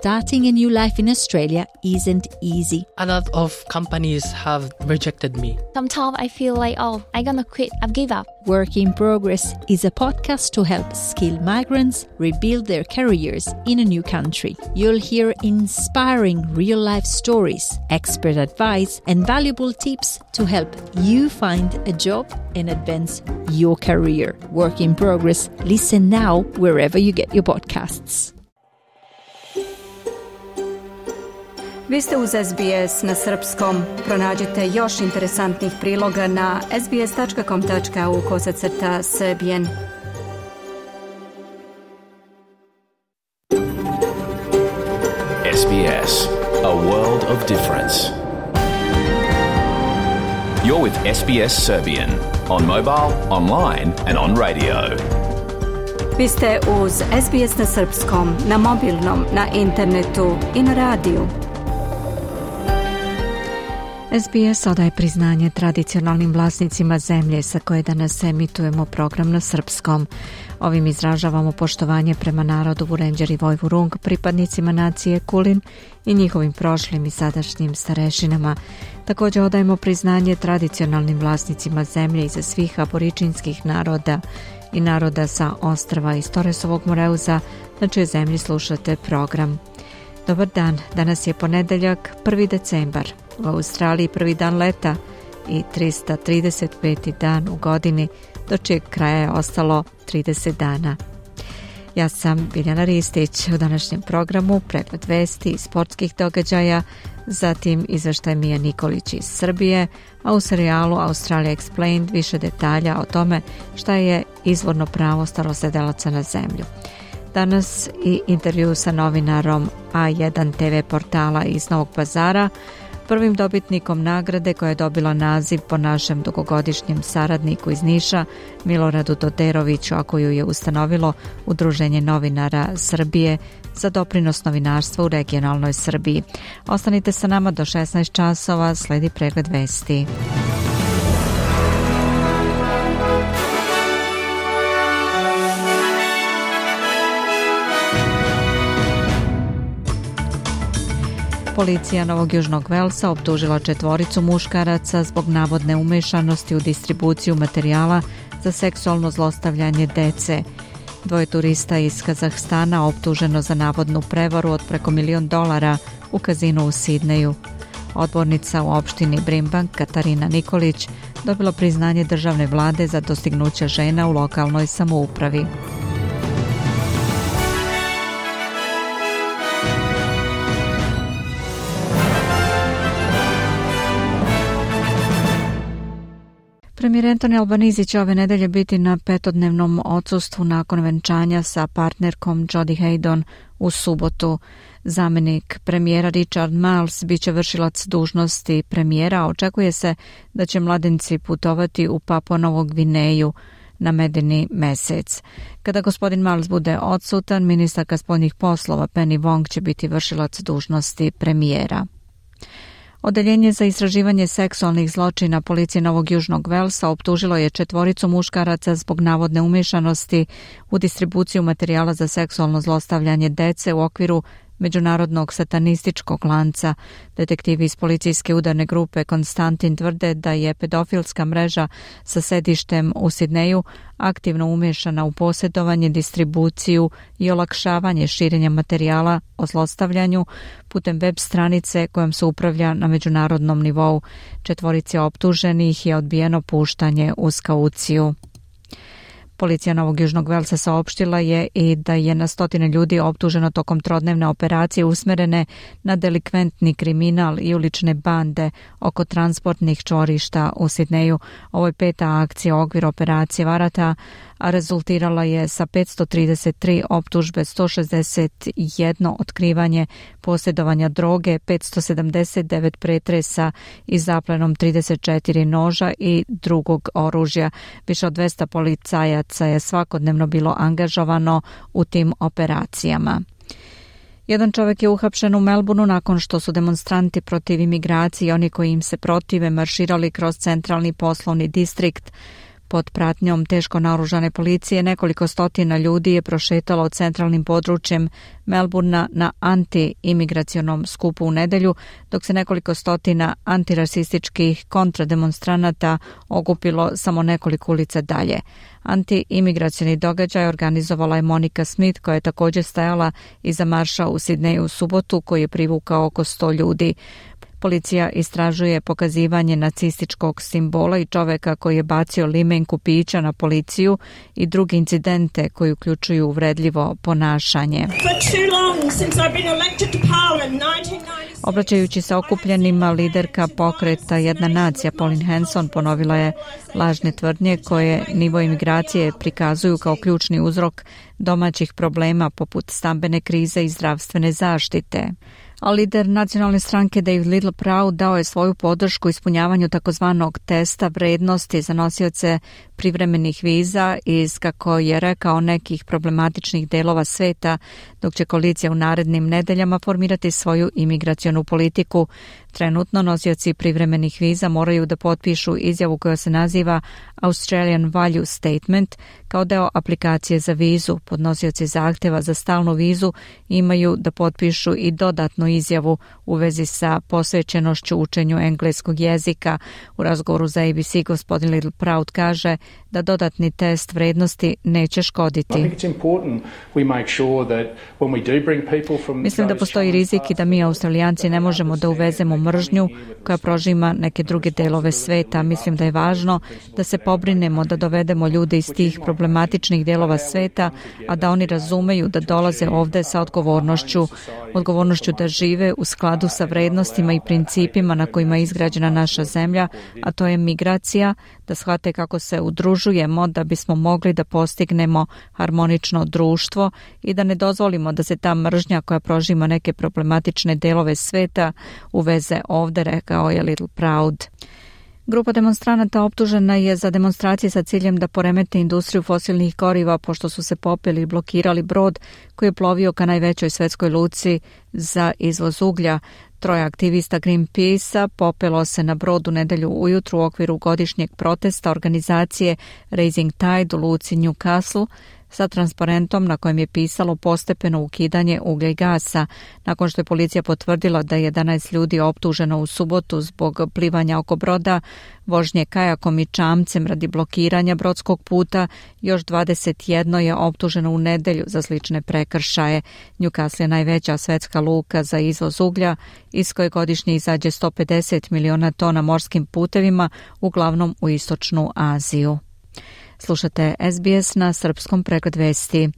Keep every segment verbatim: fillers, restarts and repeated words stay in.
starting a new life in Australia isn't easy. A lot of companies have rejected me. Sometimes I feel like, oh, I'm gonna quit, I've give up. Work in Progress is a podcast to help skilled migrants rebuild their careers in a new country. You'll hear inspiring real-life stories, expert advice, and valuable tips to help you find a job and advance your career. Work in Progress. Listen now wherever you get your podcasts. Vi ste uz S B S na srpskom. Pronađite još interesantnih priloga na sbs.com tačka au kosacrta srbijen. S B S, a world of difference. You're with S B S Serbian on mobile, online and on radio. Vi ste uz S B S na srpskom, na mobilnom, na internetu i na radiju. S B S odaje priznanje tradicionalnim vlasnicima zemlje sa koje danas emitujemo program na srpskom. Ovim izražavamo poštovanje prema narodu Vurenđer i Vojvurung, pripadnicima nacije Kulin i njihovim prošlim i sadašnjim starešinama. Također odajemo priznanje tradicionalnim vlasnicima zemlje iza svih aboričinskih naroda i naroda sa ostrva iz Torresovog Moreuza, na čijoj zemlji slušate program. Dobar dan, danas je ponedeljak, prvi decembar. U Australiji prvi dan leta i trista trideset peti dan u godini, do čijeg kraja je ostalo trideset dana. Ja sam Biljana Ristić. U današnjem programu pregled vesti i sportskih događaja, zatim izveštaj Mija Nikolić iz Srbije, a u serijalu Australia Explained više detalja o tome šta je izvorno pravo starosedelaca na zemlju. Danas i intervju sa novinarom A jedan te ve portala iz Novog Pazara, prvim dobitnikom nagrade koja je dobila naziv po našem dugogodišnjem saradniku iz Niša, Miloradu Doderoviću, a koju je ustanovilo Udruženje novinara Srbije za doprinos novinarstva u regionalnoj Srbiji. Ostanite sa nama do šesnaest časova, sledi pregled vesti. Policija Novog Južnog Velsa optužila četvoricu muškaraca zbog navodne umešanosti u distribuciju materijala za seksualno zlostavljanje dece. Dvoje turista iz Kazahstana optuženo za navodnu prevaru od preko milion dolara u kazinu u Sidneju. Odbornica u opštini Brimbank Katarina Nikolić dobila priznanje državne vlade za dostignuće žena u lokalnoj samoupravi. Premijer Anthony Albanese će ove nedelje biti na petodnevnom odsustvu nakon venčanja sa partnerkom Jodie Haydon u subotu. Zamenik premijera Richard Marles biće vršilac dužnosti premijera. Očekuje se da će mladenci putovati u Papua Novu Gvineju na medeni mesec. Kada gospodin Marles bude odsutan, ministarka spoljnih poslova Penny Wong će biti vršilac dužnosti premijera. Odeljenje za istraživanje seksualnih zločina policije Novog Južnog Velsa optužilo je četvoricu muškaraca zbog navodne umešanosti u distribuciju materijala za seksualno zlostavljanje dece u okviru međunarodnog satanističkog lanca. Detektivi iz policijske udarne grupe Konstantin tvrde da je pedofilska mreža sa sedištem u Sidneju aktivno umešana u posjedovanje, distribuciju i olakšavanje širenja materijala o zlostavljanju putem web stranice kojom se upravlja na međunarodnom nivou. Četvorici optuženih je odbijeno puštanje uz kauciju. Policija Novog Južnog Velsa saopštila je i da je na stotine ljudi optuženo tokom trodnevne operacije usmerene na delikventni kriminal i ulične bande oko transportnih čvorišta u Sidneju. Ovo je peta akcija u okviru operacije Varata, a rezultirala je sa petsto trideset tri optužbe, sto šezdeset jedno otkrivanje posjedovanja droge, petsto sedamdeset devet pretresa i zaplenom trideset četiri noža i drugog oružja. Više od dvesta policajaca je svakodnevno bilo angažovano u tim operacijama. Jedan čovjek je uhapšen u Melbourneu nakon što su demonstranti protiv imigracije i oni koji im se protive marširali kroz centralni poslovni distrikt Pod pratnjom teško naoružane policije nekoliko stotina ljudi je prošetalo centralnim područjem Melbourna na anti-imigracionom skupu u nedelju, dok se nekoliko stotina antirasističkih kontrademonstranata okupilo samo nekoliko ulica dalje. Anti-imigracioni događaj organizovala je Monica Smith, koja je također stajala iza marša u Sidneju u subotu, koji je privukao oko sto ljudi. Policija istražuje pokazivanje nacističkog simbola i čoveka koji je bacio limenku pića na policiju i druge incidente koji uključuju uvredljivo ponašanje. Obraćajući se okupljenima, liderka pokreta Jedna nacija Pauline Hanson ponovila je lažne tvrdnje koje nivo imigracije prikazuju kao ključni uzrok domaćih problema poput stambene krize i zdravstvene zaštite. A lider nacionalne stranke David Littleproud dao je svoju podršku ispunjavanju takozvanog testa vrednosti za nosioce privremenih viza iz, kako je rekao, nekih problematičnih delova sveta, dok će koalicija u narednim nedeljama formirati svoju imigracionu politiku. Trenutno nosioci privremenih viza moraju da potpišu izjavu koja se naziva Australian Value Statement kao deo aplikacije za vizu. Podnosioci zahteva za stalnu vizu imaju da potpišu i dodatnu izjavu u vezi sa posvećenošću učenju engleskog jezika. U razgovoru za A B C gospodin Littleproud kaže da dodatni test vrednosti neće škoditi. Mislim da postoji rizik i da mi Australijanci ne možemo da uvezemo mržnju koja prožima neke druge delove sveta. Mislim da je važno da se pobrinemo da dovedemo ljude iz tih problematičnih delova sveta, a da oni razumeju da dolaze ovde sa odgovornošću, odgovornošću da žive u skladu sa vrednostima i principima na kojima je izgrađena naša zemlja, a to je migracija, da shvate kako se udružujemo da bismo mogli da postignemo harmonično društvo i da ne dozvolimo da se ta mržnja koja prožima neke problematične delove sveta uveze ovde, rekao je Littleproud. Grupa demonstranata optužena je za demonstracije sa ciljem da poremete industriju fosilnih goriva pošto su se popeli i blokirali brod koji je plovio ka najvećoj svetskoj luci za izvoz uglja. Troje aktivista Greenpeace-a popelo se na brod u nedelju ujutru u okviru godišnjeg protesta organizacije Raising Tide u luci Newcastle sa transparentom na kojem je pisalo postepeno ukidanje uglja i gasa. Nakon što je policija potvrdila da je jedanaest ljudi optuženo u subotu zbog plivanja oko broda, vožnje kajakom i čamcem radi blokiranja brodskog puta, još dvadeset jedno je optuženo u nedelju za slične prekršaje. Newcastle je najveća svetska luka za izvoz uglja, iz koje godišnje izađe sto pedeset miliona tona morskim putevima, uglavnom u istočnu Aziju. Slušate S B S na srpskom, pregled vesti.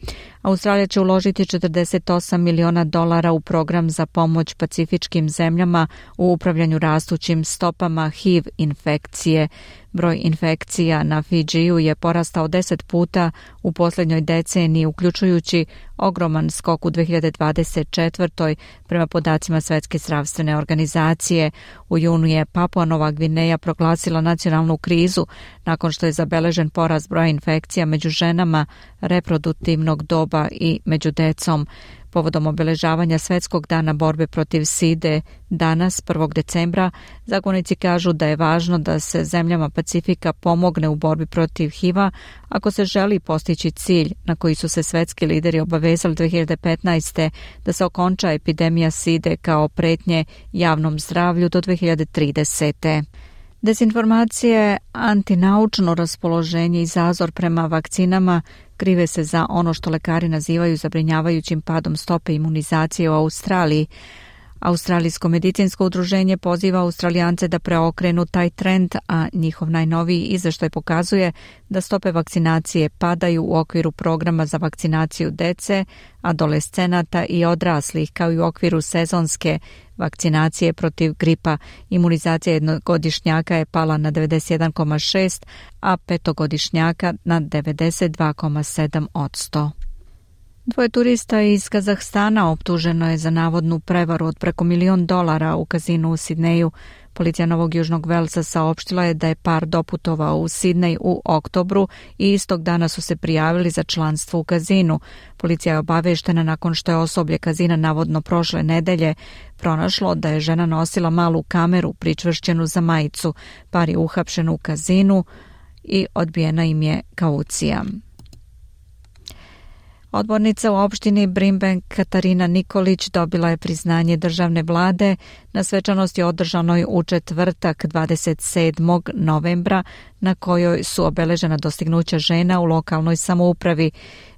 Australija će uložiti četrdeset osam miliona dolara u program za pomoć pacifičkim zemljama u upravljanju rastućim stopama H I V infekcije. Broj infekcija na Fidžiju je porastao deset puta u posljednjoj deceniji, uključujući ogroman skok u dve hiljade dvadeset četvrtoj prema podacima Svetske zdravstvene organizacije. U junu je Papua Nova Gvineja proglasila nacionalnu krizu nakon što je zabeležen porast broja infekcija među ženama reproduktivnog doba i među decom. Povodom obeležavanja Svetskog dana borbe protiv side danas, prvog decembra, zagovornici kažu da je važno da se zemljama Pacifika pomogne u borbi protiv H I V-a ako se želi postići cilj na koji su se svetski lideri obavezali dve hiljade petnaeste. da se okonča epidemija side kao pretnje javnom zdravlju do dve hiljade tridesete. Dezinformacije, antinaučno raspoloženje i zazor prema vakcinama krive se za ono što lekari nazivaju zabrinjavajućim padom stope imunizacije u Australiji. Australijsko medicinsko udruženje poziva Australijance da preokrenu taj trend, a njihov najnoviji izveštaj pokazuje da stope vakcinacije padaju u okviru programa za vakcinaciju dece, adolescenata i odraslih, kao i u okviru sezonske vakcinacije protiv gripa. Imunizacija jednogodišnjaka je pala na devedeset jedan zarez šest, a petogodišnjaka na devedeset dva zarez sedam posto. Dvoje turista iz Kazahstana optuženo je za navodnu prevaru od preko milion dolara u kazinu u Sidneju. Policija Novog Južnog Velsa saopštila je da je par doputovao u Sidnej u oktobru i istog dana su se prijavili za članstvo u kazinu. Policija je obaveštena nakon što je osoblje kazina navodno prošle nedelje pronašlo da je žena nosila malu kameru pričvršćenu za majicu. Par je uhapšen u kazinu i odbijena im je kaucija. Odbornica u opštini Brimbank Katarina Nikolić dobila je priznanje državne vlade na svečanosti održanoj u četvrtak dvadeset sedmog novembra na kojoj su obeležena dostignuća žena u lokalnoj samoupravi.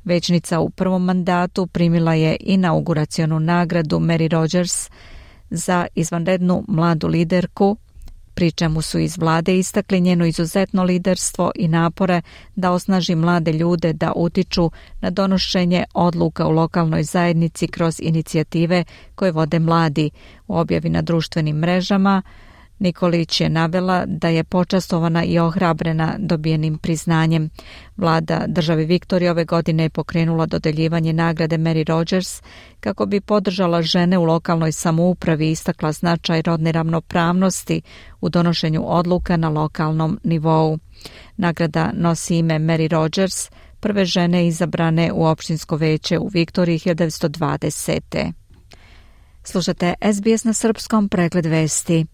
Većnica u prvom mandatu primila je inauguracionu nagradu Mary Rogers za izvanrednu mladu liderku, pri čemu su iz vlade istakli njeno izuzetno liderstvo i napore da osnaži mlade ljude da utiču na donošenje odluka u lokalnoj zajednici kroz inicijative koje vode mladi. U objavi na društvenim mrežama Nikolić je navela da je počastovana i ohrabrena dobijenim priznanjem. Vlada države Viktorije ove godine je pokrenula dodeljivanje nagrade Mary Rogers kako bi podržala žene u lokalnoj samoupravi i istakla značaj rodne ravnopravnosti u donošenju odluka na lokalnom nivou. Nagrada nosi ime Mary Rogers, prve žene izabrane u opštinsko veće u Viktoriji hiljadu devetsto dvadesete. Slušate S B S na srpskom, pregled vesti.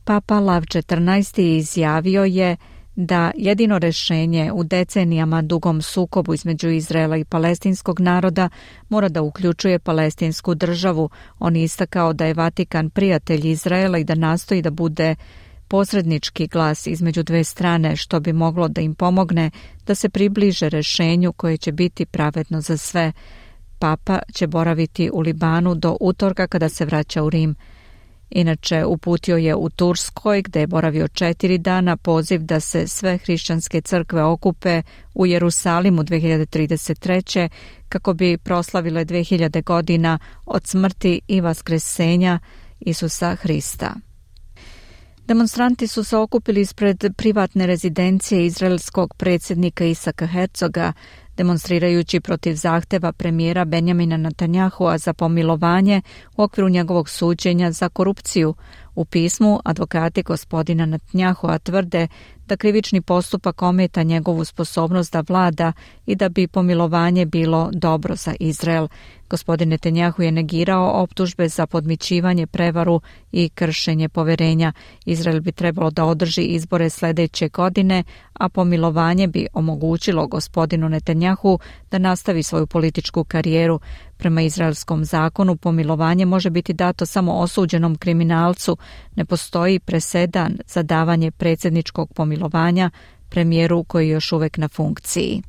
Papa Lav četrnaesti izjavio je da jedino rešenje u decenijama dugom sukobu između Izraela i palestinskog naroda mora da uključuje palestinsku državu. On je istakao da je Vatikan prijatelj Izraela i da nastoji da bude posrednički glas između dve strane, što bi moglo da im pomogne da se približe rešenju koje će biti pravedno za sve. Papa će boraviti u Libanu do utorka kada se vraća u Rim. Inače, uputio je u Turskoj, gde je boravio četiri dana, poziv da se sve hrišćanske crkve okupe u Jerusalimu dve hiljade trideset treće kako bi proslavile dve hiljade godina od smrti i vaskresenja Isusa Hrista. Demonstranti su se okupili ispred privatne rezidencije izraelskog predsjednika Isaka Herzoga, demonstrirajući protiv zahteva premijera Benjamina Netanyahua za pomilovanje u okviru njegovog suđenja za korupciju. U pismu advokati gospodina Netanyahua tvrde da krivični postupak ometa njegovu sposobnost da vlada i da bi pomilovanje bilo dobro za Izrael. Gospodin Netanyahu je negirao optužbe za podmićivanje, prevaru i kršenje poverenja. Izrael bi trebalo da održi izbore sljedeće godine, a pomilovanje bi omogućilo gospodinu Netanyahu da nastavi svoju političku karijeru. Prema izraelskom zakonu pomilovanje može biti dato samo osuđenom kriminalcu. Ne postoji presedan za davanje predsjedničkog pomilovanja premijeru koji je još uvek na funkciji.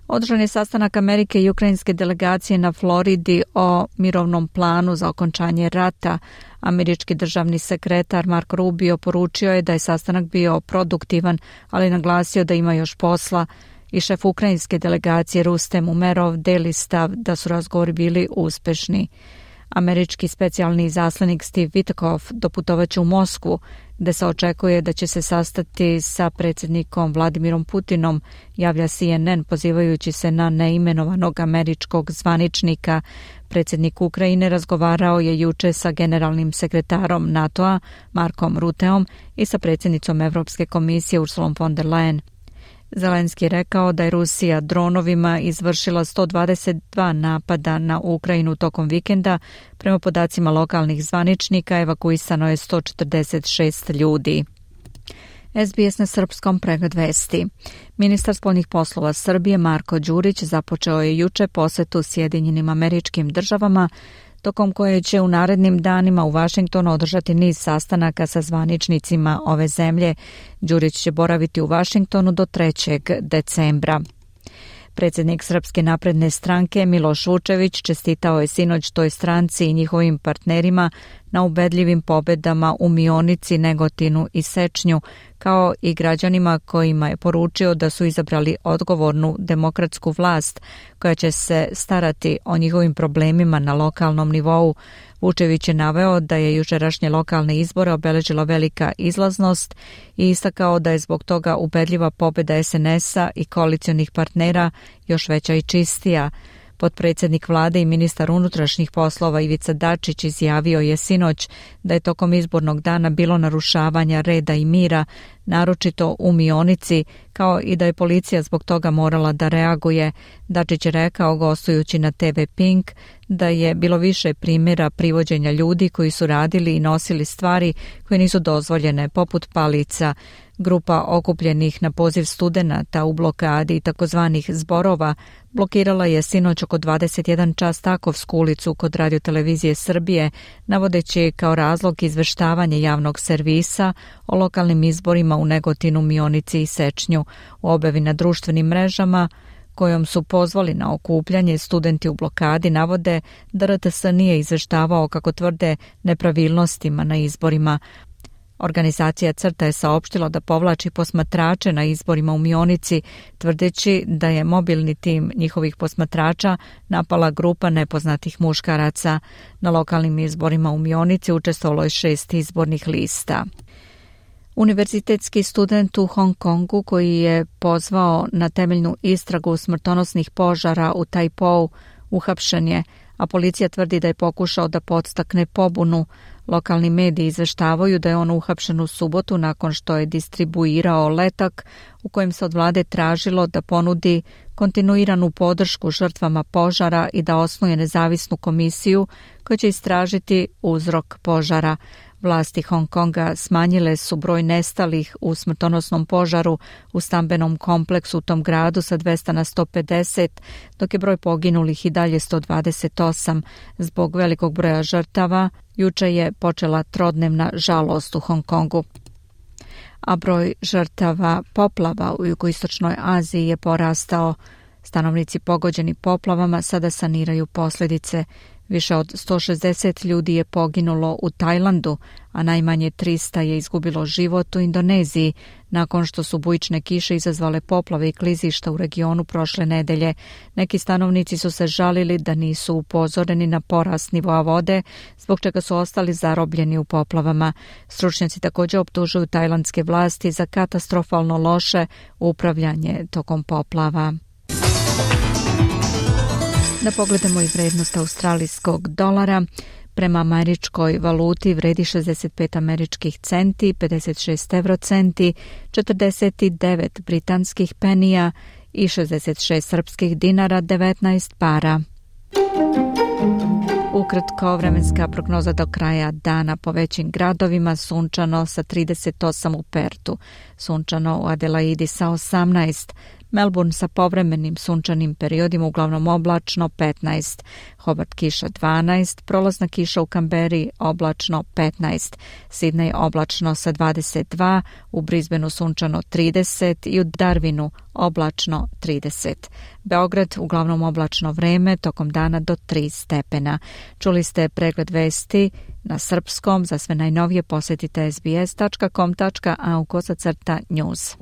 Održan je sastanak Amerike i ukrajinske delegacije na Floridi o mirovnom planu za okončanje rata. Američki državni sekretar Marco Rubio poručio je da je sastanak bio produktivan, ali naglasio da ima još posla. I šef ukrajinske delegacije Rustem Umerov deli stav da su razgovori bili uspešni. Američki specijalni izaslanik Steve Witkoff doputovaće u Moskvu, gde se očekuje da će se sastati sa predsjednikom Vladimirom Putinom, javlja C N N pozivajući se na neimenovanog američkog zvaničnika. Predsjednik Ukrajine razgovarao je juče sa generalnim sekretarom NATO-a Markom Ruteom i sa predsjednicom Evropske komisije Ursulom von der Leyen. Zelenski je rekao da je Rusija dronovima izvršila sto dvadeset dva napada na Ukrajinu tokom vikenda. Prema podacima lokalnih zvaničnika evakuisano je sto četrdeset šest ljudi. S B S na srpskom, pregled vesti. Ministar spoljnih poslova Srbije Marko Đurić započeo je juče posetu Sjedinjenim Američkim Državama, tokom koje će u narednim danima u Vašingtonu održati niz sastanaka sa zvaničnicima ove zemlje. Đurić će boraviti u Vašingtonu do trećeg decembra. Predsjednik Srpske napredne stranke Miloš Vučević čestitao je sinoć toj stranci i njihovim partnerima na ubedljivim pobedama u Mionici, Negotinu i Sečnju, kao i građanima kojima je poručio da su izabrali odgovornu demokratsku vlast koja će se starati o njihovim problemima na lokalnom nivou. Vučević je naveo da je jučerašnje lokalne izbore obeležila velika izlaznost i istakao da je zbog toga ubedljiva pobjeda S N S-a i koalicionih partnera još veća i čistija. Potpredsjednik vlade i ministar unutrašnjih poslova Ivica Dačić izjavio je sinoć da je tokom izbornog dana bilo narušavanja reda i mira, naročito u Mionici, kao i da je policija zbog toga morala da reaguje. Dačić je rekao, gostujući na te ve Pink, da je bilo više primjera privođenja ljudi koji su radili i nosili stvari koje nisu dozvoljene, poput palica. Grupa okupljenih na poziv studenata u blokadi takozvanih zborova blokirala je sinoć oko dvadeset jedan čas Takovsku ulicu kod Radiotelevizije Srbije, navodeći kao razlog izveštavanje javnog servisa o lokalnim izborima u Negotinu, Mionici i Sečnju. U objavi na društvenim mrežama kojom su pozvali na okupljanje, studenti u blokadi navode da er te es nije izveštavao, kako tvrde, nepravilnostima na izborima. Organizacija CRTA je saopštila da povlači posmatrače na izborima u Mionici, tvrdeći da je mobilni tim njihovih posmatrača napala grupa nepoznatih muškaraca. Na lokalnim izborima u Mionici učestvovalo je šest izbornih lista. Univerzitetski student u Hong Kongu koji je pozvao na temeljnu istragu smrtonosnih požara u Taipou uhapšen je, a policija tvrdi da je pokušao da podstakne pobunu. Lokalni mediji izveštavaju da je on uhapšen u subotu nakon što je distribuirao letak u kojem se od vlade tražilo da ponudi kontinuiranu podršku žrtvama požara i da osnuje nezavisnu komisiju koja će istražiti uzrok požara. Vlasti Hong Konga smanjile su broj nestalih u smrtonosnom požaru u stambenom kompleksu u tom gradu sa dvesta na sto pedeset, dok je broj poginulih i dalje sto dvadeset osam. Zbog velikog broja žrtava, juče je počela trodnevna žalost u Hong Kongu. A broj žrtava poplava u jugoistočnoj Aziji je porastao. Stanovnici pogođeni poplavama sada saniraju posljedice. Više od sto šezdeset ljudi je poginulo u Tajlandu, a najmanje trista je izgubilo život u Indoneziji nakon što su bujične kiše izazvale poplave i klizišta u regionu prošle nedelje. Neki stanovnici su se žalili da nisu upozoreni na porast nivoa vode, zbog čega su ostali zarobljeni u poplavama. Stručnjaci također optužuju tajlandske vlasti za katastrofalno loše upravljanje tokom poplava. Da pogledamo i vrednost australijskog dolara. Prema američkoj valuti vredi šezdeset pet američkih centi, pedeset šest evrocenti, četrdeset devet britanskih penija i šezdeset šest srpskih dinara, devetnaest para. Ukratko, vremenska prognoza do kraja dana po većim gradovima: sunčano sa trideset osam u Pertu, sunčano u Adelaidi sa osamnaest, Melbourne sa povremenim sunčanim periodima, uglavnom oblačno, petnaest, Hobart kiša dvanaest, prolazna kiša u Kamberi oblačno petnaest, Sidney oblačno sa dvadeset dva, u Brisbaneu sunčano trideset i u Darwinu oblačno trideset. Beograd uglavnom oblačno vreme, tokom dana do tri stepena. Čuli ste pregled vesti na srpskom. Za sve najnovije posjetite es be es tačka com tačka a u kosacrta news.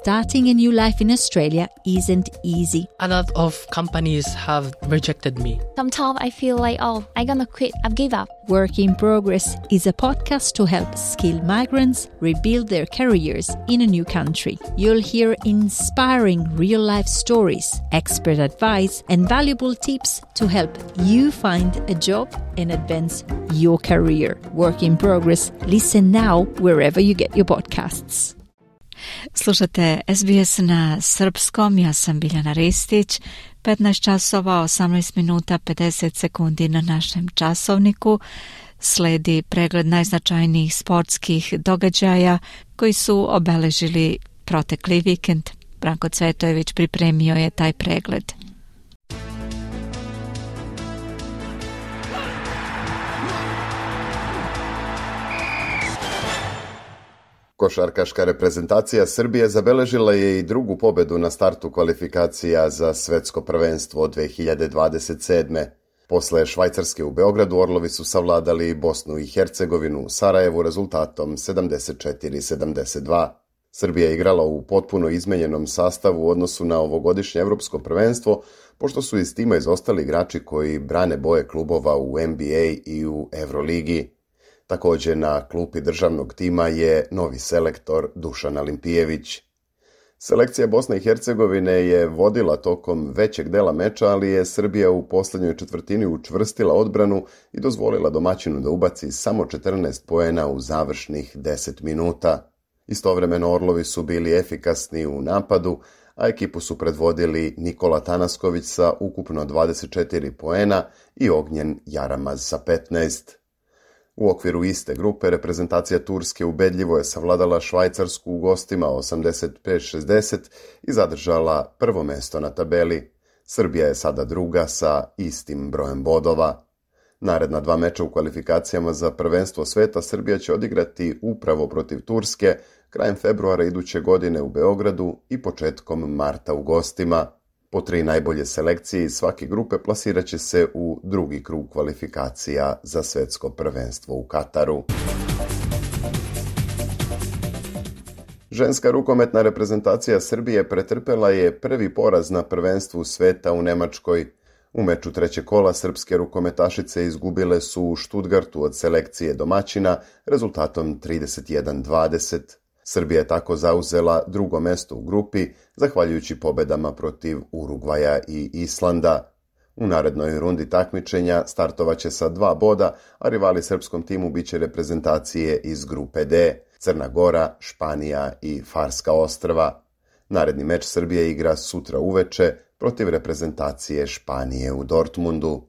Starting a new life in Australia isn't easy. A lot of companies have rejected me. Sometimes I feel like, oh, I'm gonna quit. I've give up. Work in Progress is a podcast to help skilled migrants rebuild their careers in a new country. You'll hear inspiring real-life stories, expert advice, and valuable tips to help you find a job and advance your career. Work in Progress. Listen now wherever you get your podcasts. Slušate es be es na srpskom, ja sam Biljana Ristić, petnaest časova, osamnaest minuta, pedeset sekundi na našem časovniku. Sledi pregled najznačajnijih sportskih događaja koji su obeležili protekli vikend. Branko Cvetojević pripremio je taj pregled. Košarkaška reprezentacija Srbije zabeležila je i drugu pobedu na startu kvalifikacija za svetsko prvenstvo dve hiljade dvadeset sedme. Posle Švajcarske u Beogradu, Orlovi su savladali Bosnu i Hercegovinu u Sarajevu rezultatom sedamdeset četiri sedamdeset dva. Srbija je igrala u potpuno izmenjenom sastavu u odnosu na ovogodišnje evropsko prvenstvo, pošto su iz tima izostali igrači koji brane boje klubova u N B A i u Euroligi. Također na klupi državnog tima je novi selektor Dušan Alimpijević. Selekcija Bosne i Hercegovine je vodila tokom većeg dela meča, ali je Srbija u posljednjoj četvrtini učvrstila odbranu i dozvolila domaćinu da ubaci samo četrnaest poena u završnih deset minuta. Istovremeno Orlovi su bili efikasni u napadu, a ekipu su predvodili Nikola Tanasković sa ukupno dvadeset četiri poena i Ognjen Jaramaz sa petnaest. U okviru iste grupe reprezentacija Turske ubedljivo je savladala Švajcarsku u gostima osamdeset pet šezdeset i zadržala prvo mesto na tabeli. Srbija je sada druga sa istim brojem bodova. Naredna dva meča u kvalifikacijama za prvenstvo sveta Srbija će odigrati upravo protiv Turske krajem februara iduće godine u Beogradu i početkom marta u gostima. Po tri najbolje selekcije iz svake grupe plasirat će se u drugi krug kvalifikacija za svjetsko prvenstvo u Kataru. Ženska rukometna reprezentacija Srbije pretrpela je prvi poraz na prvenstvu sveta u Nemačkoj. U meču trećeg kola srpske rukometašice izgubile su u Stuttgartu od selekcije domaćina rezultatom trideset jedan dvadeset. Srbija je tako zauzela drugo mesto u grupi, zahvaljujući pobedama protiv Urugvaja i Islanda. U narednoj rundi takmičenja startovaće sa dva boda, a rivali srpskom timu biće reprezentacije iz grupe D, Crna Gora, Španija i Farska ostrva. Naredni meč Srbije igra sutra uveče protiv reprezentacije Španije u Dortmundu.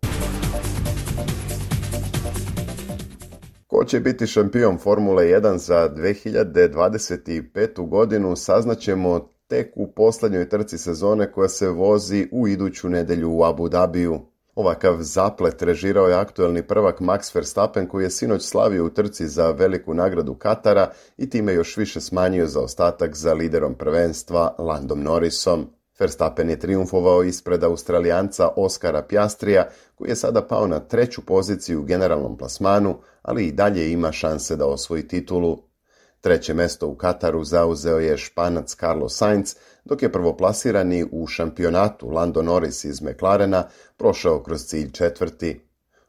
Ko će biti šampion Formule jedan za dve hiljade dvadeset petu godinu saznaćemo tek u posljednjoj trci sezone koja se vozi u iduću nedjelju u Abu Dhabiju. Ovakav zaplet režirao je aktuelni prvak Max Verstappen koji je sinoć slavio u trci za veliku nagradu Katara i time još više smanjio zaostatak za liderom prvenstva Landom Norrisom. Verstappen je trijumfovao ispred Australijanca Oskara Piastrija, koji je sada pao na treću poziciju u generalnom plasmanu, ali i dalje ima šanse da osvoji titulu. Treće mesto u Kataru zauzeo je Španac Carlos Sainz, dok je prvoplasirani u šampionatu Lando Norris iz McLarena prošao kroz cilj četvrti.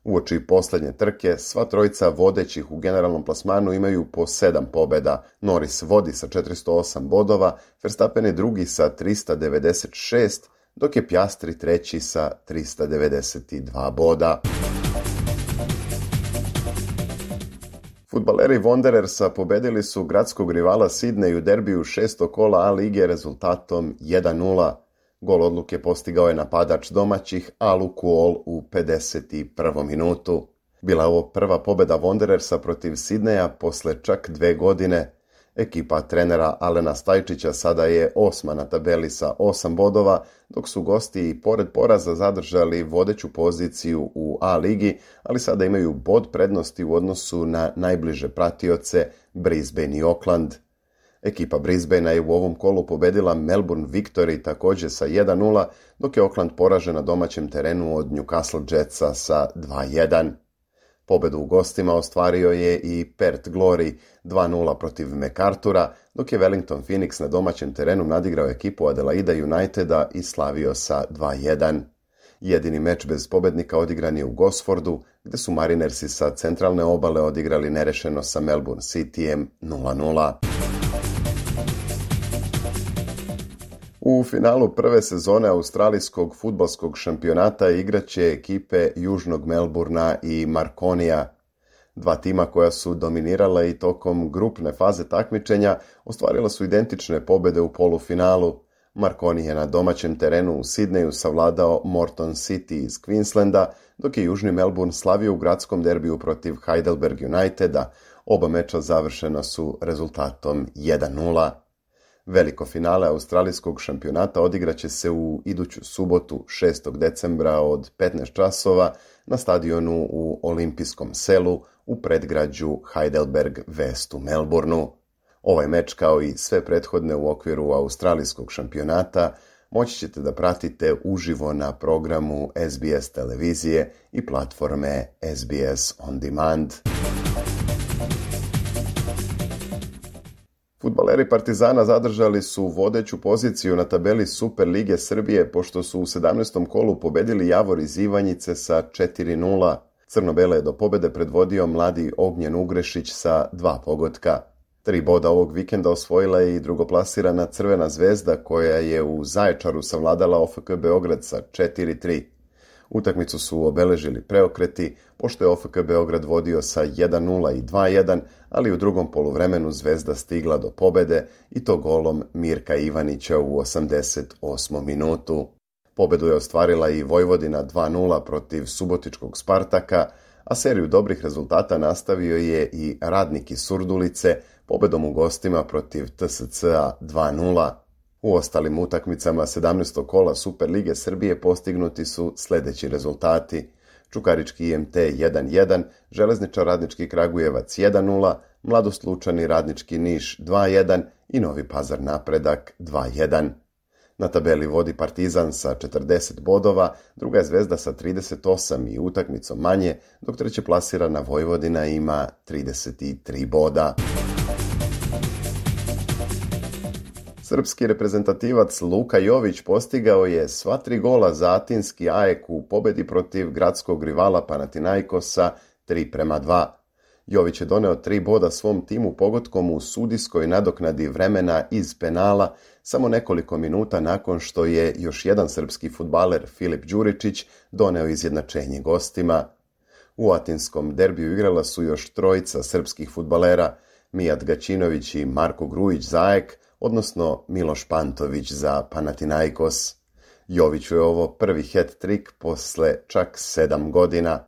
Uoči posljednje trke, sva trojica vodećih u generalnom plasmanu imaju po sedam pobjeda. Norris vodi sa četiristo osam bodova, Verstappen je drugi sa trista devedeset šest, dok je Piastri treći sa trista devedeset dva boda. Fudbaleri Wanderersa pobedili su gradskog rivala Sydney u derbiju šestog kola A lige rezultatom jedan nula. Gol odluke postigao je napadač domaćih Alu Kuol u pedeset prvom minutu. Bila je ovo prva pobjeda Wanderersa protiv Sydneya posle čak dve godine. Ekipa trenera Alena Stajčića sada je osma na tabeli sa osam bodova, dok su gosti i pored poraza zadržali vodeću poziciju u A ligi, ali sada imaju bod prednosti u odnosu na najbliže pratioce Brisbane i Auckland. Ekipa Brisbanea je u ovom kolu pobedila Melbourne Victory također sa jedan nula, dok je Auckland poražen na domaćem terenu od Newcastle Jetsa sa dva jedan. Pobedu u gostima ostvario je i Perth Glory dva nula protiv MacArthura, dok je Wellington Phoenix na domaćem terenu nadigrao ekipu Adelaida Uniteda i slavio sa dva jedan. Jedini meč bez pobednika odigran je u Gosfordu, gde su Marinersi sa centralne obale odigrali nerešeno sa Melbourne Cityjem nula nula. U finalu prve sezone australijskog fudbalskog šampionata igraće ekipe Južnog Melburna i Marconija. Dva tima koja su dominirala i tokom grupne faze takmičenja ostvarila su identične pobjede u polufinalu. Marconi je na domaćem terenu u Sidneju savladao Morton City iz Queenslanda, dok je Južni Melbourne slavio u gradskom derbiju protiv Heidelberg Uniteda. Oba meča završena su rezultatom jedan nula. Veliko finale australijskog šampionata odigraće se u iduću subotu šestog decembra od petnaest časova na stadionu u Olimpijskom selu u predgrađu Heidelberg West u Melbourneu. Ovaj meč, kao i sve prethodne u okviru australijskog šampionata, moći ćete da pratite uživo na programu S B S televizije i platforme S B S On Demand. Fudbaleri Partizana zadržali su vodeću poziciju na tabeli Super lige Srbije pošto su u sedamnaestom kolu pobedili Javor iz Ivanjice sa četiri nula. Crno-bele je do pobede predvodio mladi Ognjen Ugrešić sa dva pogotka. Tri boda ovog vikenda osvojila je i drugoplasirana Crvena zvezda koja je u Zaječaru savladala O F K Beograd sa četiri tri. Utakmicu su obeležili preokreti, pošto je O F K Beograd vodio sa jedan nula i dva jedan, ali u drugom poluvremenu Zvezda stigla do pobede i to golom Mirka Ivanića u osamdeset osmom minutu. Pobedu je ostvarila i Vojvodina dva nula protiv subotičkog Spartaka, a seriju dobrih rezultata nastavio je i Radnik iz Surdulice pobedom u gostima protiv T S C-a dva nula. U ostalim utakmicama sedamnaestog kola Super lige Srbije postignuti su sljedeći rezultati: Čukarički I M T jedan jedan, Železničar Radnički Kragujevac jedan nula, Mladost Lučani Radnički Niš dva jedan i Novi Pazar Napredak dva jedan. Na tabeli vodi Partizan sa četrdeset bodova, druga je Zvezda sa trideset osam i utakmicom manje, dok treće plasirana Vojvodina ima trideset tri boda. Srpski reprezentativac Luka Jović postigao je sva tri gola za atinski A E K u pobedi protiv gradskog rivala Panathinaikosa tri prema dva. Jović je doneo tri boda svom timu pogodkom u sudijskoj nadoknadi vremena iz penala samo nekoliko minuta nakon što je još jedan srpski fudbaler Filip Đuričić doneo izjednačenje gostima. U atinskom derbiju igrala su još trojica srpskih fudbalera, Mijat Gaćinović i Marko Grujić za A E K, odnosno Miloš Pantović za Panathinaikos. Joviću je ovo prvi hat-trik posle čak sedam godina.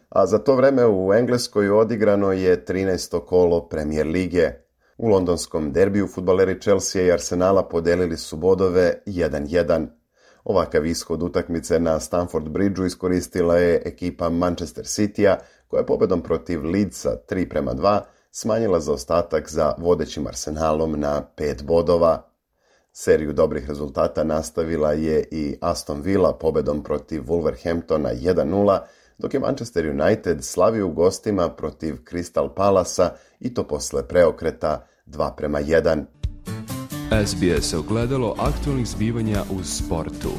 A za to vreme u Engleskoj odigrano je trinaesto kolo Premier lige. U londonskom derbiju fudbaleri Chelsea i Arsenala podelili su bodove jedan jedan. Ovakav ishod utakmice na Stamford Bridgeu iskoristila je ekipa Manchester City-a, koja je pobedom protiv Leedsa tri prema dva smanjila zaostatak za vodećim Arsenalom na pet bodova. Seriju dobrih rezultata nastavila je i Aston Villa pobedom protiv Wolverhamptona jedan nula, dok je Manchester United slavio u gostima protiv Crystal Palasa i to posle preokreta dva prema jedan. S B S ogledalo aktualnih zbivanja u sportu.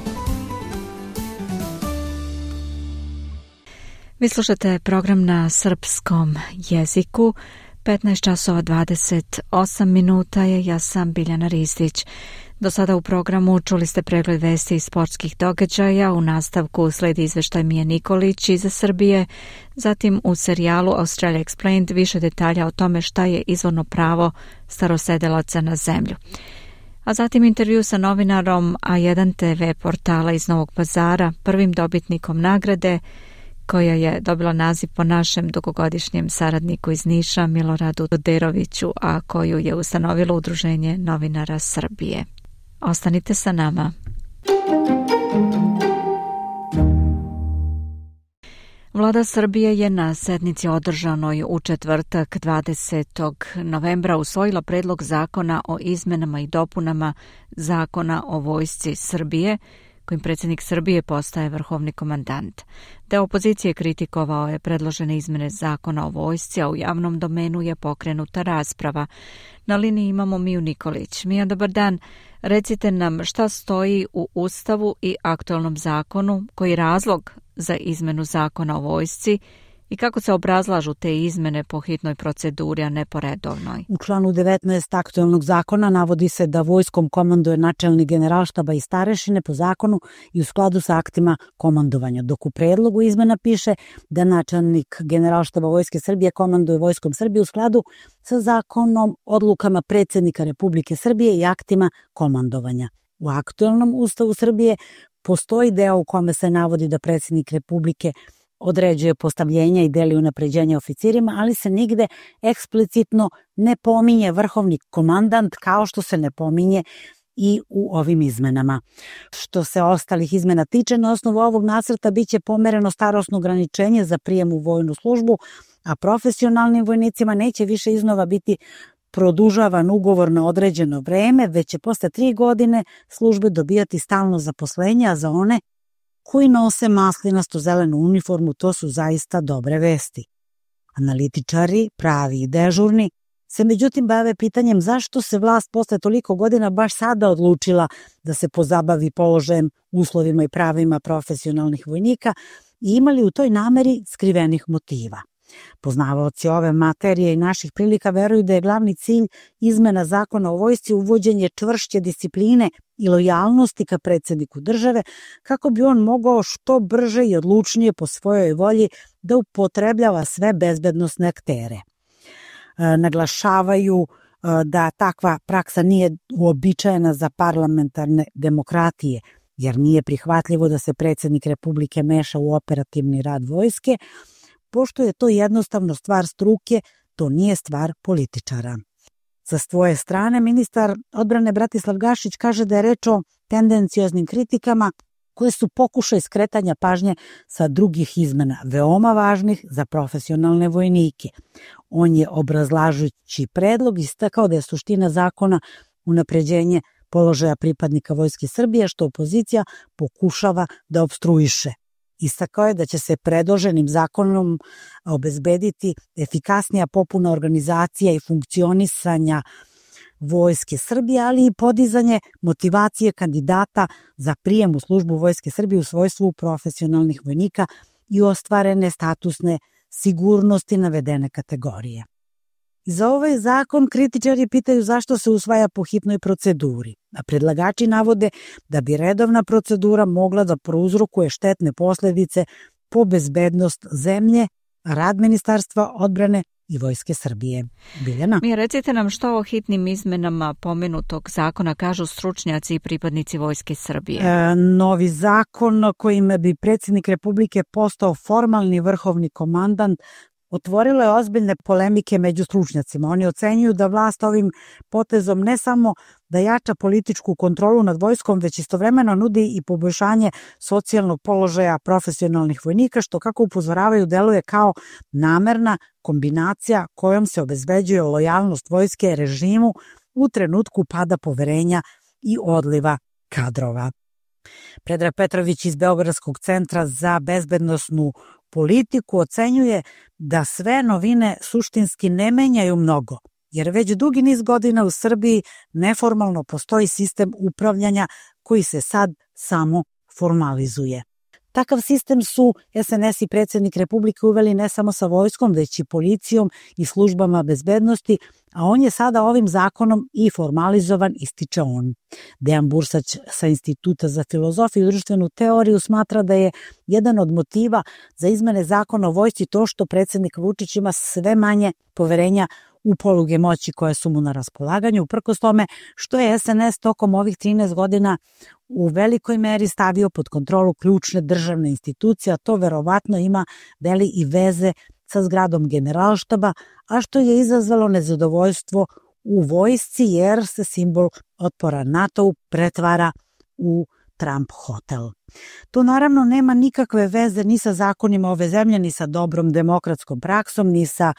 Vi slušate program na srpskom jeziku. petnaest časova dvadeset osam minuta je, ja sam Biljana Ristić. Do sada u programu čuli ste pregled vesti iz sportskih događaja, u nastavku sledi izveštaj Mije Nikolić iz Srbije, zatim u serijalu Australia Explained više detalja o tome šta je izvorno pravo starosedelaca na zemlju. A zatim intervju sa novinarom A jedan T V portala iz Novog Pazara, prvim dobitnikom nagrade, koja je dobila naziv po našem dugogodišnjem saradniku iz Niša, Miloradu Doderoviću, a koju je ustanovilo Udruženje novinara Srbije. Ostanite sa nama. Vlada Srbije je na sednici održanoj u četvrtak dvadesetog novembra usvojila predlog zakona o izmenama i dopunama Zakona o vojsci Srbije, kojim predsjednik Srbije postaje vrhovni komandant. Deo opozicije kritikovao je predložene izmene Zakona o vojsci, a u javnom domenu je pokrenuta rasprava. Na liniji imamo Miju Nikolić. Mija, dobar dan. Recite nam šta stoji u Ustavu i aktualnom zakonu, koji je razlog za izmenu Zakona o vojsci i kako se obrazlažu te izmene po hitnoj proceduri, a ne po redovnoj? U članu devetnaest aktualnog zakona navodi se da vojskom komanduje načelnik generalštaba i starešine po zakonu i u skladu sa aktima komandovanja, dok u predlogu izmena piše da načelnik generalštaba Vojske Srbije komanduje Vojskom Srbije u skladu sa zakonom, odlukama predsjednika Republike Srbije i aktima komandovanja. U aktualnom Ustavu Srbije postoji deo u kome se navodi da predsjednik Republike određuje postavljenja i deli unapređenja oficirima, ali se nigde eksplicitno ne pominje vrhovni komandant, kao što se ne pominje i u ovim izmenama. Što se ostalih izmena tiče, na osnovu ovog nacrta biće pomereno starosno ograničenje za prijem u vojnu službu, a profesionalnim vojnicima neće više iznova biti produžavan ugovor na određeno vreme, već će posle tri godine službe dobijati stalno zaposlenje, a za one koji nose maslinasto-zelenu uniformu to su zaista dobre vesti. Analitičari, pravi i dežurni, se međutim bave pitanjem zašto se vlast posle toliko godina baš sada odlučila da se pozabavi položajem, uslovima i pravima profesionalnih vojnika i imali u toj nameri skrivenih motiva. Poznavaoci ove materije i naših prilika veruju da je glavni cilj izmena zakona o vojsci uvođenje čvršće discipline i lojalnosti ka predsjedniku države kako bi on mogao što brže i odlučnije po svojoj volji da upotrebljava sve bezbednosne aktere. E, naglašavaju e, da takva praksa nije uobičajena za parlamentarne demokratije, jer nije prihvatljivo da se predsjednik Republike meša u operativni rad vojske, pošto je to jednostavno stvar struke, to nije stvar političara. Sa svoje strane, ministar odbrane Bratislav Gašić kaže da je reč o tendencioznim kritikama koje su pokušaj skretanja pažnje sa drugih izmena, veoma važnih za profesionalne vojnike. On je obrazlažući predlog istakao da je suština zakona unapređenje položaja pripadnika Vojske Srbije, što opozicija pokušava da opstruiše. Istakao je da će se predloženim zakonom obezbediti efikasnija popuna organizacija i funkcionisanja Vojske Srbije, ali i podizanje motivacije kandidata za prijem u službu Vojske Srbije u svojstvu profesionalnih vojnika i ostvarene statusne sigurnosti navedene kategorije. Za ovaj zakon kritičari pitaju zašto se usvaja po hitnoj proceduri, a predlagači navode da bi redovna procedura mogla da prouzrokuje štetne posledice po bezbednost zemlje, rad Ministarstva odbrane i Vojske Srbije. Biljana? Mi recite nam što o hitnim izmenama pomenutog zakona kažu stručnjaci i pripadnici Vojske Srbije. E, novi zakon kojim bi predsjednik Republike postao formalni vrhovni komandant otvorilo je ozbiljne polemike među stručnjacima. Oni ocenjuju da vlast ovim potezom ne samo da jača političku kontrolu nad vojskom, već istovremeno nudi i poboljšanje socijalnog položaja profesionalnih vojnika, što, kako upozoravaju, deluje kao namerna kombinacija kojom se obezbeđuje lojalnost vojske režimu u trenutku pada poverenja i odliva kadrova. Predrag Petrović iz Beogradskog centra za bezbednosnu politiku ocenjuje da sve novine suštinski ne menjaju mnogo, jer već dugi niz godina u Srbiji neformalno postoji sistem upravljanja koji se sad samo formalizuje. Takav sistem su es en es i predsjednik Republike uveli ne samo sa vojskom, već i policijom i službama bezbednosti, a on je sada ovim zakonom i formalizovan, ističe on. Dejan Bursać sa Instituta za filozofiju i društvenu teoriju smatra da je jedan od motiva za izmene zakona o vojsci to što predsjednik Vučić ima sve manje poverenja u poluge moći koje su mu na raspolaganju, uprkos tome što je es en es tokom ovih trinaest godina u velikoj meri stavio pod kontrolu ključne državne institucije, a to verovatno ima veli i veze sa zgradom Generalštaba, a što je izazvalo nezadovoljstvo u vojsci jer se simbol otpora NATO pretvara u Trump hotel. To naravno nema nikakve veze ni sa zakonima ove zemlje, ni sa dobrom demokratskom praksom, ni sa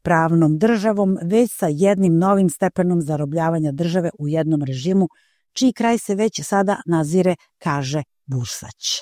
pravnom državom, već sa jednim novim stepenom zarobljavanja države u jednom režimu, čiji kraj se već sada nazire, kaže Bursać.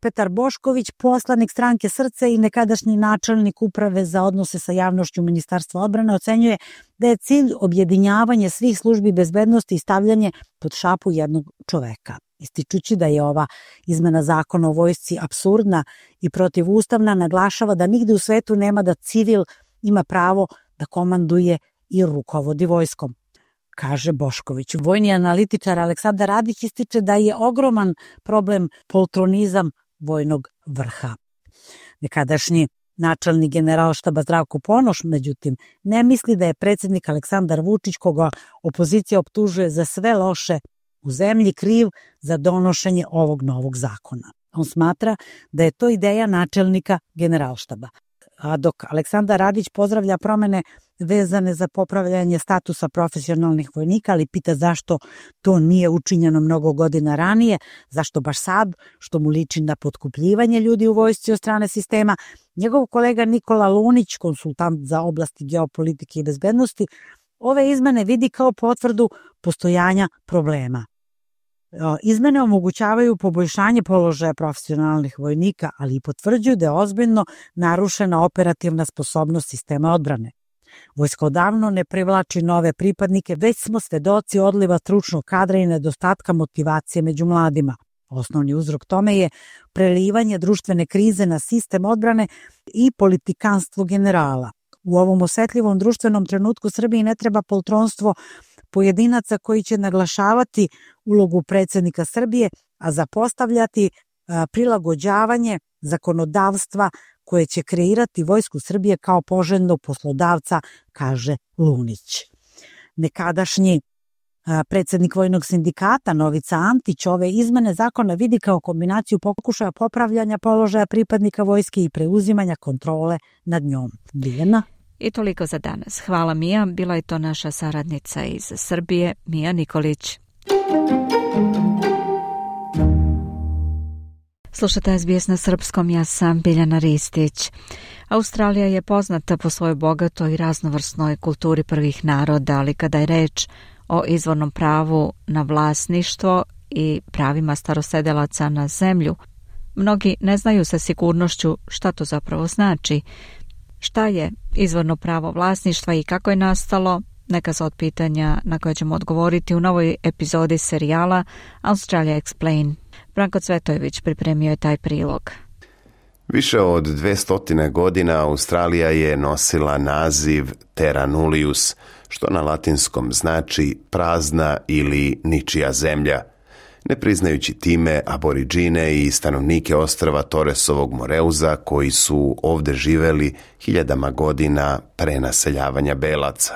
Petar Bošković, poslanik stranke Srce i nekadašnji načelnik uprave za odnose sa javnošću Ministarstva odbrane, ocenjuje da je cilj objedinjavanje svih službi bezbednosti i stavljanje pod šapu jednog čoveka. Ističući da je ova izmena zakona o vojsci apsurdna i protivustavna, naglašava da nigde u svetu nema da civil ima pravo da komanduje i rukovodi vojskom, kaže Bošković. Vojni analitičar Aleksandar Radić ističe da je ogroman problem poltronizam vojnog vrha. Nekadašnji načelnik Generalštaba Zdravko Ponoš, međutim, ne misli da je predsjednik Aleksandar Vučić, koga opozicija optužuje za sve loše u zemlji, kriv za donošenje ovog novog zakona. On smatra da je to ideja načelnika Generalštaba. A dok Aleksandar Radić pozdravlja promene vezane za popravljanje statusa profesionalnih vojnika, ali pita zašto to nije učinjeno mnogo godina ranije, zašto baš sad, što mu liči na potkupljivanje ljudi u vojsci od strane sistema, njegov kolega Nikola Lunić, konsultant za oblasti geopolitike i bezbednosti, ove izmene vidi kao potvrdu postojanja problema. Izmene omogućavaju poboljšanje položaja profesionalnih vojnika, ali i potvrđuju da je ozbiljno narušena operativna sposobnost sistema odbrane. Vojska odavno ne privlači nove pripadnike, već smo svedoci odliva stručnog kadra i nedostatka motivacije među mladima. Osnovni uzrok tome je prelivanje društvene krize na sistem odbrane i politikanstvo generala. U ovom osetljivom društvenom trenutku Srbiji ne treba poltronstvo pojedinaca koji će naglašavati ulogu predsjednika Srbije, a zapostavljati a, prilagođavanje zakonodavstva koje će kreirati Vojsku Srbije kao poželjnog poslodavca, kaže Lunić. Nekadašnji a, predsjednik Vojnog sindikata Novica Antić ove izmene zakona vidi kao kombinaciju pokušaja popravljanja položaja pripadnika vojske i preuzimanja kontrole nad njom. Biljana? I toliko za danas. Hvala Mija, bila je to naša saradnica iz Srbije, Mija Nikolić. Slušate S B S na srpskom, ja sam Biljana Ristić. Australija je poznata po svojoj bogatoj i raznovrsnoj kulturi prvih naroda, ali kada je reč o izvornom pravu na vlasništvo i pravima starosedelaca na zemlju, mnogi ne znaju sa sigurnošću šta to zapravo znači. Šta je izvorno pravo vlasništva i kako je nastalo? Neka su od pitanja na koje ćemo odgovoriti u novoj epizodi serijala Australia Explain. Branko Cvetojević pripremio je taj prilog. Više od dvestotine godina Australija je nosila naziv Terra Nullius, što na latinskom znači prazna ili ničija zemlja, ne priznajući time aboriđine i stanovnike ostrva Torresovog Moreuza koji su ovdje živeli hiljadama godina pre naseljavanja belaca.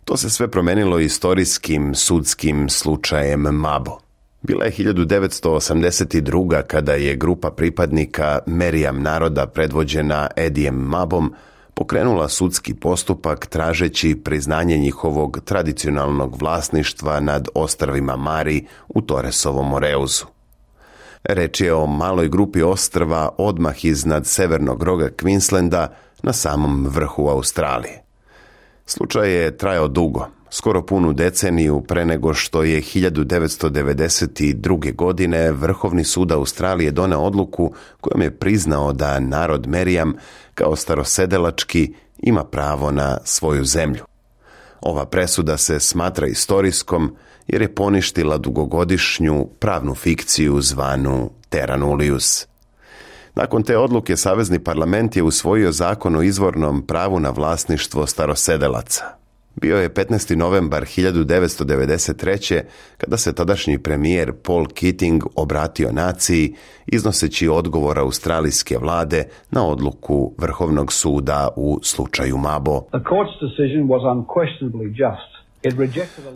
To se sve promenilo istorijskim sudskim slučajem Mabo. Bila je hiljadu devetsto osamdeset druga kada je grupa pripadnika Meriam naroda predvođena Edijem Mabom pokrenula sudski postupak tražeći priznanje njihovog tradicionalnog vlasništva nad ostrvima Mari u Torresovom Moreuzu. Reč je o maloj grupi ostrva odmah iznad severnog roga Queenslanda na samom vrhu Australije. Slučaj je trajao dugo, skoro punu deceniju pre nego što je hiljadu devetsto devedeset druge. godine Vrhovni sud Australije doneo odluku kojom je priznao da narod Meriam kao starosedelački ima pravo na svoju zemlju. Ova presuda se smatra istorijskom jer je poništila dugogodišnju pravnu fikciju zvanu Terra Nullius. Nakon te odluke Savezni parlament je usvojio zakon o izvornom pravu na vlasništvo starosedelaca. Bio je petnaesti novembar hiljadu devetsto devedeset treće. kada se tadašnji premijer Paul Keating obratio naciji iznoseći odgovor australijske vlade na odluku Vrhovnog suda u slučaju Mabo.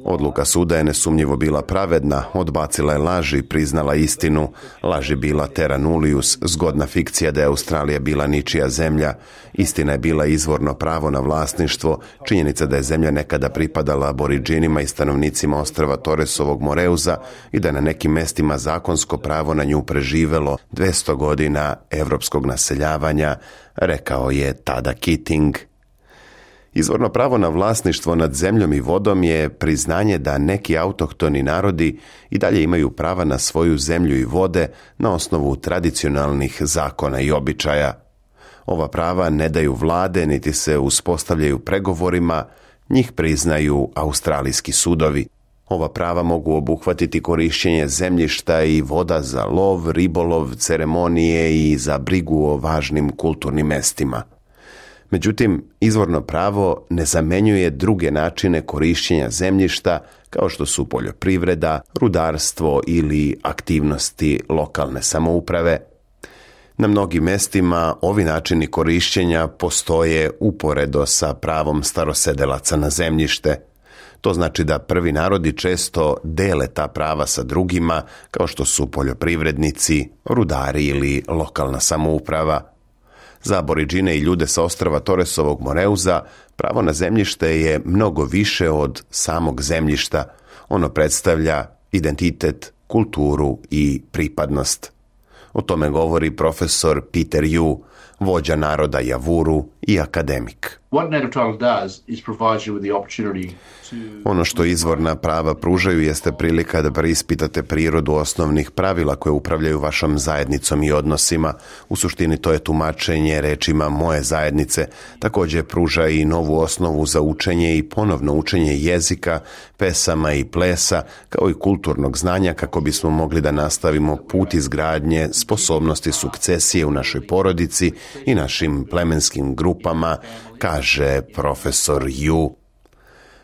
Odluka suda je nesumnjivo bila pravedna, odbacila je laži, priznala istinu. Laž je bila Terra Nullius, zgodna fikcija da je Australija bila ničija zemlja. Istina je bila izvorno pravo na vlasništvo, činjenica da je zemlja nekada pripadala aboriđinima i stanovnicima ostrva Torresovog Moreuza i da je na nekim mestima zakonsko pravo na nju preživelo dvesta godina evropskog naseljavanja, rekao je tada Keating. Izvorno pravo na vlasništvo nad zemljom i vodom je priznanje da neki autohtoni narodi i dalje imaju prava na svoju zemlju i vode na osnovu tradicionalnih zakona i običaja. Ova prava ne daju vlade niti se uspostavljaju pregovorima, njih priznaju australijski sudovi. Ova prava mogu obuhvatiti korišćenje zemljišta i voda za lov, ribolov, ceremonije i za brigu o važnim kulturnim mestima. Međutim, izvorno pravo ne zamenjuje druge načine korišćenja zemljišta kao što su poljoprivreda, rudarstvo ili aktivnosti lokalne samouprave. Na mnogim mestima ovi načini korišćenja postoje uporedo sa pravom starosedelaca na zemljište. To znači da prvi narodi često dele ta prava sa drugima kao što su poljoprivrednici, rudari ili lokalna samouprava. Za aboriđine i ljude sa ostrva Torresovog Moreuza pravo na zemljište je mnogo više od samog zemljišta. Ono predstavlja identitet, kulturu i pripadnost. O tome govori profesor Peter Yu, vođa naroda Javuru i akademik. Ono što izvorna prava pružaju jeste prilika da preispitate prirodu osnovnih pravila koje upravljaju vašom zajednicom i odnosima. U suštini to je tumačenje rečima moje zajednice. Također pruža i novu osnovu za učenje i ponovno učenje jezika, pesama i plesa, kao i kulturnog znanja kako bismo mogli da nastavimo put izgradnje sposobnosti sukcesije u našoj porodici i našim plemenskim grupama, kaže profesor Yu.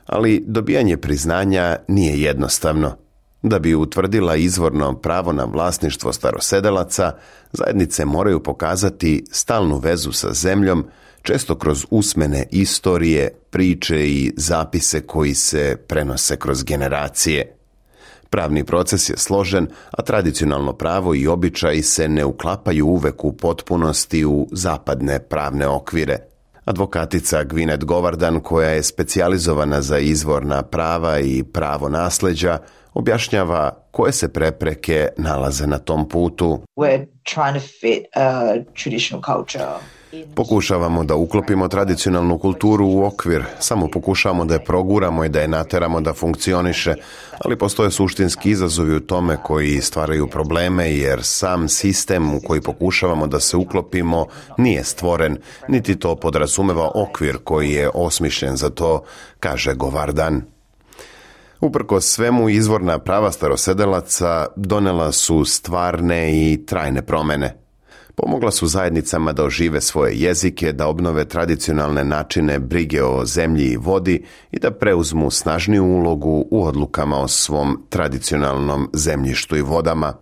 Ali dobijanje priznanja nije jednostavno. Da bi utvrdila izvorno pravo na vlasništvo starosedelaca, zajednice moraju pokazati stalnu vezu sa zemljom, često kroz usmene istorije, priče i zapise koji se prenose kroz generacije. Pravni proces je složen, a tradicionalno pravo i običaji se ne uklapaju uvek u potpunosti u zapadne pravne okvire. Advokatica Gwyneth Govardan, koja je specijalizovana za izvorna prava i pravo nasleđa, objašnjava koje se prepreke nalaze na tom putu. Pokušavamo da uklopimo tradicionalnu kulturu u okvir, samo pokušavamo da je proguramo i da je nateramo da funkcioniše, ali postoje suštinski izazovi u tome koji stvaraju probleme, jer sam sistem u koji pokušavamo da se uklopimo nije stvoren, niti to podrazumeva okvir koji je osmišljen za to, kaže Govardan. Uprkos svemu, izvorna prava starosedelaca donela su stvarne i trajne promene. Pomogla su zajednicama da ožive svoje jezike, da obnove tradicionalne načine brige o zemlji i vodi i da preuzmu snažniju ulogu u odlukama o svom tradicionalnom zemljištu i vodama.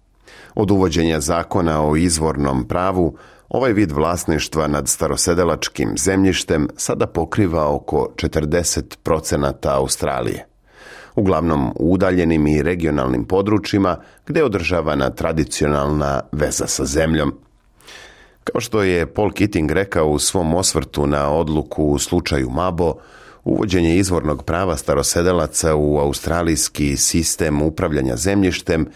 Od uvođenja zakona o izvornom pravu, ovaj vid vlasništva nad starosedelačkim zemljištem sada pokriva oko četrdeset procenata Australije. Uglavnom u udaljenim i regionalnim područjima gdje je održavana tradicionalna veza sa zemljom. Kao što je Paul Keating rekao u svom osvrtu na odluku u slučaju Mabo, uvođenje izvornog prava starosedelaca u australijski sistem upravljanja zemljištem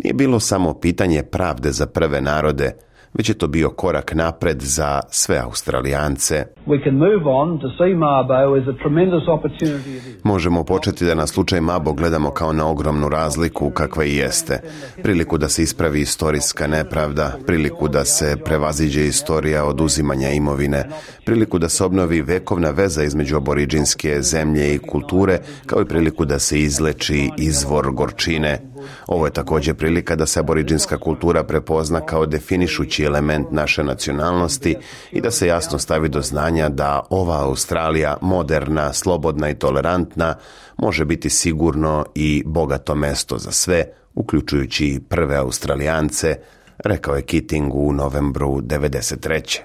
nije bilo samo pitanje pravde za prve narode, već je to bio korak napred za sve Australijance. Možemo početi da na slučaj Mabo gledamo kao na ogromnu razliku kakva i jeste. Priliku da se ispravi istorijska nepravda, priliku da se prevaziđe istorija oduzimanja imovine, priliku da se obnovi vekovna veza između aboriđinske zemlje i kulture, kao i priliku da se izleči izvor gorčine. Ovo je također prilika da se aboriđinska kultura prepozna kao definišući element naše nacionalnosti i da se jasno stavi do znanja da ova Australija, moderna, slobodna i tolerantna, može biti sigurno i bogato mesto za sve, uključujući prve Australijance, rekao je Keating u novembru devedeset treće.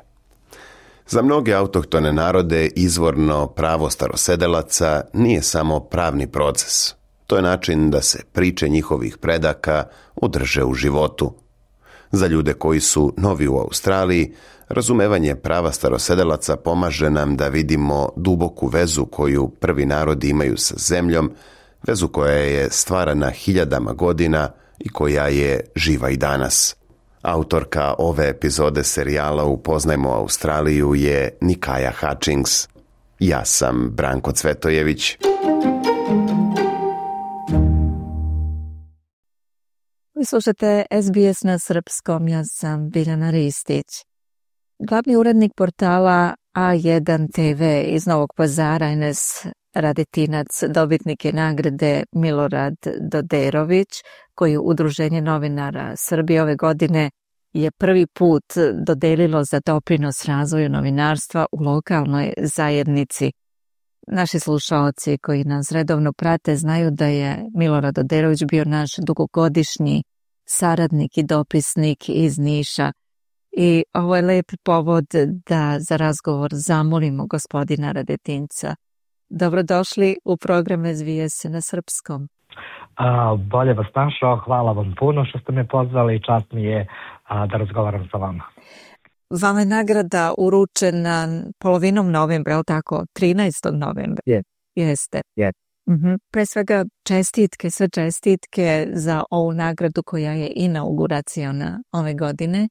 Za mnoge autohtone narode izvorno pravo starosedelaca nije samo pravni proces. To je način da se priče njihovih predaka održe u životu. Za ljude koji su novi u Australiji, razumevanje prava starosedelaca pomaže nam da vidimo duboku vezu koju prvi narodi imaju sa zemljom, vezu koja je stvarana hiljadama godina i koja je živa i danas. Autorka ove epizode serijala Upoznajmo Australiju je Nikaja Hutchings. Ja sam Branko Cvetojević. Vi slušate S B S na srpskom, ja sam Biljana Ristić. Glavni urednik portala A jedan T V iz Novog Pazara, Enes Radetinac, dobitnik je nagrade Milorad Doderović, koji Udruženje novinara Srbije ove godine je prvi put dodelilo za doprinos razvoju novinarstva u lokalnoj zajednici. Naši slušaoci koji nas redovno prate znaju da je Milorad Doderović bio naš dugogodišnji saradnik i dopisnik iz Niša. I ovo je lep povod da za razgovor zamolimo gospodina Radetinca. Dobrodošli u program S B S na srpskom. A, bolje vas našao, hvala vam puno što ste me pozvali i čast mi je a, da razgovaram sa vama. Vama je nagrada uručena polovinom novembra, je li tako? trinaestog novembra. Yes. Jeste. Yes. Uh-huh. Pre svega čestitke, sve čestitke za ovu nagradu koja je inauguraciona ove godine.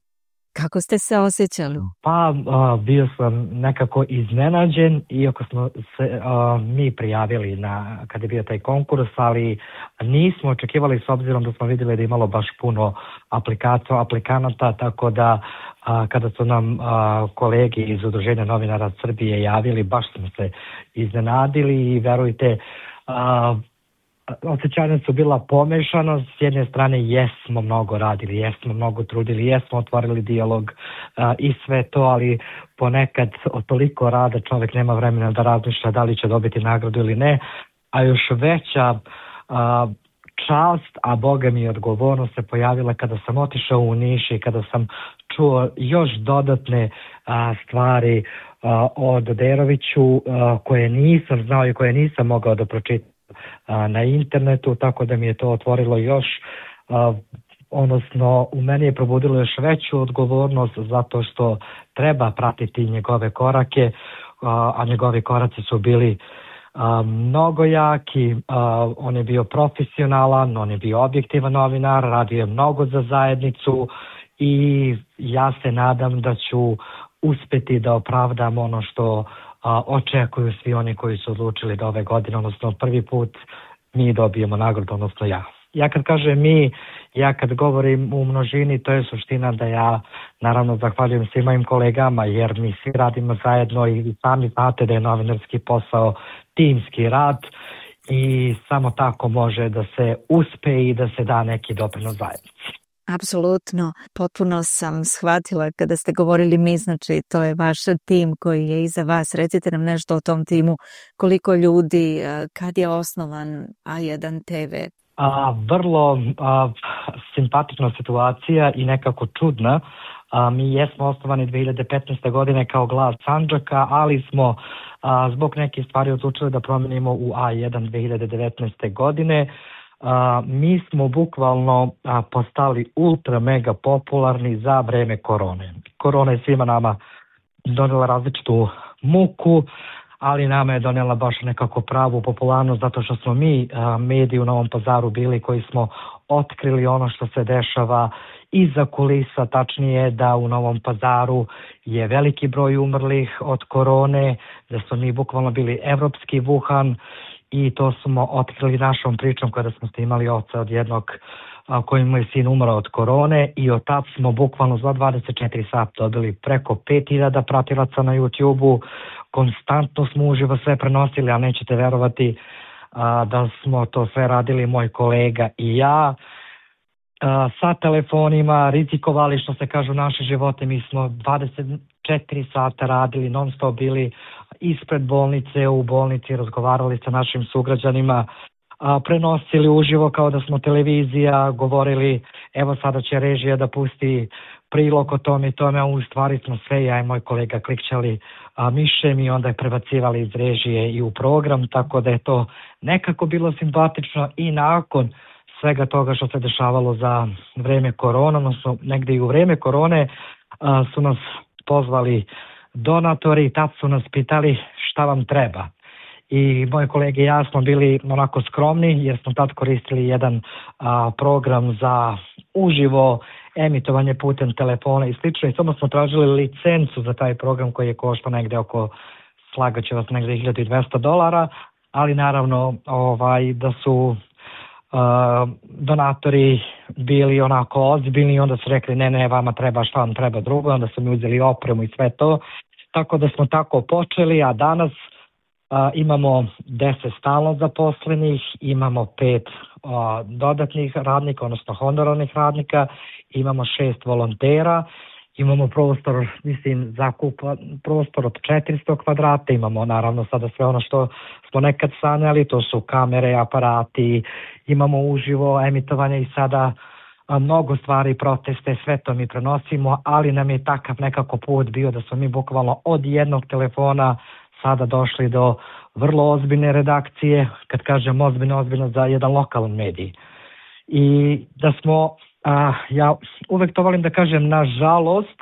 Kako ste se osjećali? Pa a, bio sam nekako iznenađen, iako smo se a, mi prijavili na, kad je bio taj konkurs, ali nismo očekivali s obzirom da smo vidjeli da je imalo baš puno aplikacija, aplikanata, tako da a, kada su nam a, kolegi iz Udruženja novinara Srbije javili, baš smo se iznenadili i verujte, a, osjećanja su bila pomešana. S jedne strane jesmo mnogo radili, jesmo mnogo trudili, jesmo otvorili dijalog a, i sve to, ali ponekad od toliko rada čovjek nema vremena da razmišlja da li će dobiti nagradu ili ne, a još veća a, čast, a boga mi odgovornost se pojavila kada sam otišao u Niš i kada sam čuo još dodatne a, stvari a, o Doderoviću a, koje nisam znao i koje nisam mogao da pročitam na internetu, tako da mi je to otvorilo još, odnosno u meni je probudilo još veću odgovornost zato što treba pratiti njegove korake, a njegovi koraci su bili mnogo jaki, on je bio profesionalan, on je bio objektivan novinar, radio je mnogo za zajednicu i ja se nadam da ću uspeti da opravdam ono što a, očekuju svi oni koji su odlučili da ove godine, odnosno prvi put mi dobijemo nagradu, odnosno ja. Ja kad kažem mi, ja kad govorim u množini, to je suština da ja naravno zahvaljujem svim mojim kolegama jer mi svi radimo zajedno i sami znate da je novinarski posao timski rad i samo tako može da se uspe i da se da neki doprinos zajednici. Apsolutno, potpuno sam shvatila kada ste govorili mi, znači to je vaš tim koji je iza vas. Recite nam nešto o tom timu, koliko ljudi, kad je osnovan A jedan te ve? A, vrlo a, simpatična situacija i nekako čudna. A, mi jesmo osnovani dve hiljade petnaeste. godine kao Glas Sandžaka, ali smo a, zbog nekih stvari odlučili da promenimo u A jedan dve hiljade devetnaeste. godine. Uh, mi smo bukvalno uh, postali ultra mega popularni za vreme korone. Korona je svima nama donela različitu muku, ali nama je donela baš nekako pravu popularnost zato što smo mi uh, mediji u Novom Pazaru bili koji smo otkrili ono što se dešava iza kulisa, tačnije da u Novom Pazaru je veliki broj umrlih od korone, da smo mi bukvalno bili evropski Wuhan. I to smo otkrili našom pričom kada smo snimali oca od jednog a, kojim je sin umro od korone i od tad smo bukvalno za dvadeset četiri sata dobili preko pet hiljada pratilaca na YouTube-u. Konstantno smo uživo sve prenosili, a nećete verovati a, da smo to sve radili moj kolega i ja. A, sa telefonima, rizikovali što se kažu naše živote, mi smo dvadeset četiri sata radili, non stop bili ispred bolnice, u bolnici, razgovarali sa našim sugrađanima, a, prenosili uživo kao da smo televizija, govorili evo sada će režija da pusti prilog o tome i tome, a u stvari smo sve, ja i moj kolega klikćali a, mišem i onda je prebacivali iz režije i u program, tako da je to nekako bilo simpatično i nakon svega toga što se dešavalo za vreme korona, odnosno negde i u vreme korone a, su nas pozvali donatori i tad su nas pitali šta vam treba. I moje kolege i ja smo bili onako skromni jer smo tad koristili jedan a, program za uživo emitovanje putem telefona i slično i samo smo tražili licencu za taj program koji je koštao negde oko, slagaće vas negde hiljadu dvesta dolara, ali naravno ovaj da su Uh, donatori bili onako ozbiljni i onda su rekli ne, ne, vama treba, šta vam treba drugo, onda su mi uzeli opremu i sve to, tako da smo tako počeli, a danas uh, imamo deset stalno zaposlenih, imamo pet uh, dodatnih radnika, odnosno honorarnih radnika, imamo šest volontera, imamo prostor, mislim, zakup, prostor od četiristo kvadrata, imamo naravno sada sve ono što smo nekad sanjali, to su kamere, aparati, imamo uživo emitovanje i sada a, mnogo stvari, proteste, sve to mi prenosimo, ali nam je takav nekako put bio da smo mi bukvalno od jednog telefona sada došli do vrlo ozbiljne redakcije, kad kažem ozbiljno, ozbiljno za jedan lokalan medij. I da smo A, ja uvek to volim da kažem nažalost,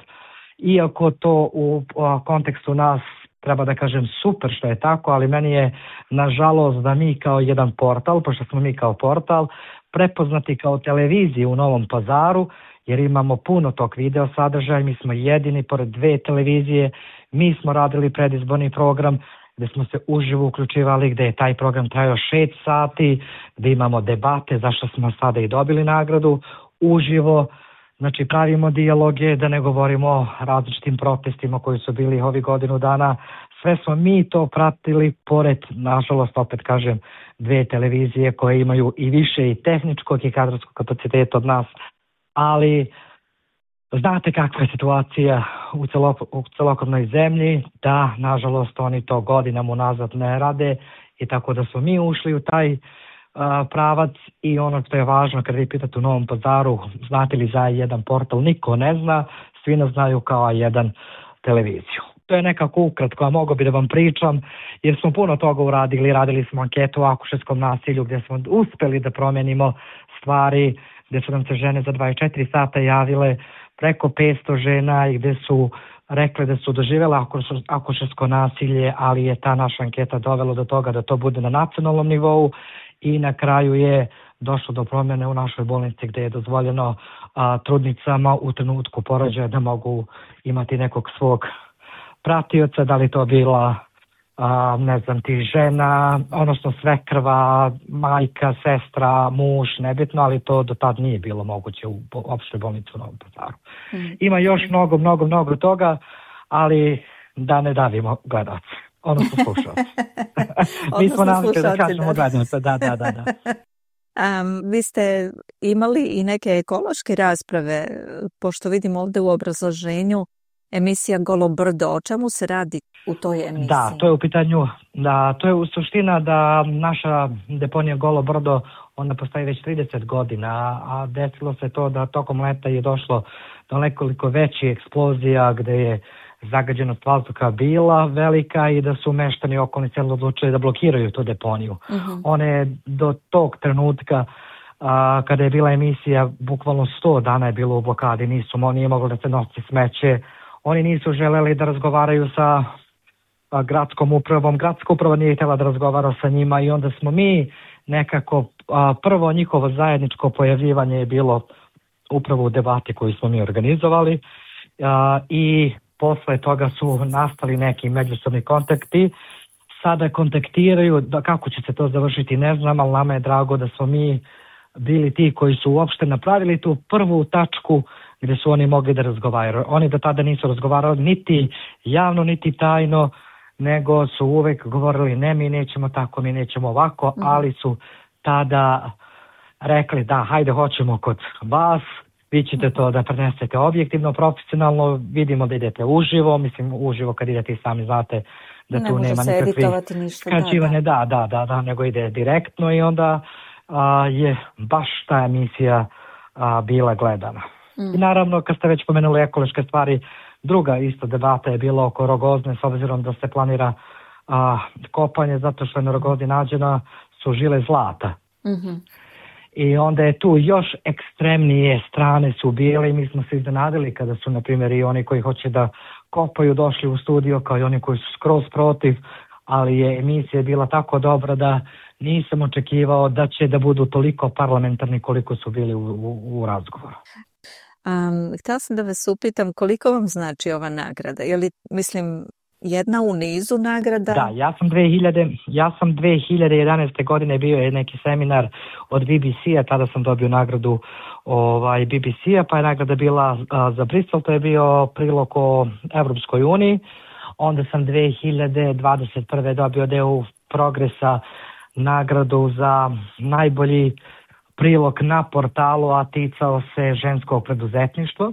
iako to u a, kontekstu nas treba da kažem super što je tako, ali meni je nažalost da mi kao jedan portal, pošto smo mi kao portal, prepoznati kao televizija u Novom Pazaru jer imamo puno tog video sadržaja, mi smo jedini pored dve televizije, mi smo radili predizborni program gdje smo se uživo uključivali, gdje je taj program trajao šest sati, gdje imamo debate zašto smo sada i dobili nagradu uživo, znači pravimo dijaloge, da ne govorimo o različitim protestima koji su bili ovih godinu dana. Sve smo mi to pratili pored, nažalost, opet kažem, dve televizije koje imaju i više i tehničkog i kadrovskog kapaciteta od nas, ali znate kakva je situacija u, celo, u celokupnoj zemlji, da, nažalost, oni to godinama unazad ne rade i tako da smo mi ušli u taj uh, pravac i ono što je važno kad vi pitate u Novom Pazaru, znate li za A jedan portal, niko ne zna, svi nas znaju kao A jedan televiziju. To je nekako ukratko, a mogo bi da vam pričam, jer smo puno toga uradili, radili smo anketu o akušerskom nasilju gdje smo uspjeli da promenimo stvari, gdje su nam se žene za dvadeset četiri sata javile, preko petsto žena i gdje su rekli da su doživjele akušersko nasilje, ali je ta naša anketa dovela do toga da to bude na nacionalnom nivou i na kraju je došlo do promjene u našoj bolnici gdje je dozvoljeno a, trudnicama u trenutku porođaja da mogu imati nekog svog pratioca, da li to bila a, ne znam ti žena, odnosno svekrva, majka, sestra, muž, nebitno, ali to do tad nije bilo moguće u opštoj bolnici u Novom Pazaru. Mm. Ima još mnogo, mnogo, mnogo toga, ali da ne davimo gledalce, odnosno slušalce. Mi smo navikli da kažemo gledalce, da, da, da. da. Um, vi ste imali i neke ekološke rasprave, pošto vidim ovdje u obrazloženju emisija Golo brdo. O čemu se radi u toj emisiji? Da, to je u pitanju, da, to je u suština da naša deponija Golo brdo, ona postoji već trideset godina, a desilo se to da tokom leta je došlo do nekoliko većih eksplozija gdje je zagađenost vazduha bila velika i da su meštani okolni sela odlučili da blokiraju tu deponiju. Uh-huh. One do tog trenutka a, kada je bila emisija, bukvalno sto dana je bilo u blokadi, nisu, nije moglo da se nosi smeće, oni nisu želeli da razgovaraju sa a, gradskom upravom, gradska uprava nije htjela da razgovara sa njima i onda smo mi nekako, a, prvo njihovo zajedničko pojavljivanje je bilo upravo u debati koju smo mi organizovali a, i posle toga su nastali neki međusobni kontakti. Sada kontaktiraju, da kako će se to završiti ne znam, ali nama je drago da smo mi bili ti koji su uopšte napravili tu prvu tačku gdje su oni mogli da razgovaraju. Oni do tada nisu razgovarali niti javno, niti tajno, nego su uvek govorili ne, mi nećemo tako, mi nećemo ovako, mm. ali su tada rekli da, hajde, hoćemo kod vas, vi ćete to da prenesete objektivno, profesionalno, vidimo da idete uživo, mislim uživo kad idete i sami znate da ne tu nema nikakvih skraćivanja, da, da, da, da, nego ide direktno i onda a, je baš ta emisija a, bila gledana. Mm. I naravno, kad ste već pomenuli ekološke stvari, druga isto debata je bila oko Rogozne, s obzirom da se planira a, kopanje, zato što je na Rogozni nađena su žile zlata. Mhm. I onda je tu još ekstremnije strane su bile i mi smo se iznenadili kada su, na primjer, i oni koji hoće da kopaju došli u studio kao i oni koji su skroz protiv, ali je emisija bila tako dobra da nisam očekivao da će da budu toliko parlamentarni koliko su bili u, u, u razgovoru. Um, htjela sam da vas upitam koliko vam znači ova nagrada? Je li, mislim, jedna u nizu nagrada? Da, ja sam dve hiljade, ja sam dve hiljade jedanaeste godine bio je neki seminar od B B C-a, tada sam dobio nagradu ovaj, B B C-a, pa je nagrada bila a, za Bristol, to je bio prilog o Evropskoj uniji. Onda sam dve hiljade dvadeset prve dobio deo Progresa nagradu za najbolji prilog na portalu, a ticao se ženskog preduzetništva.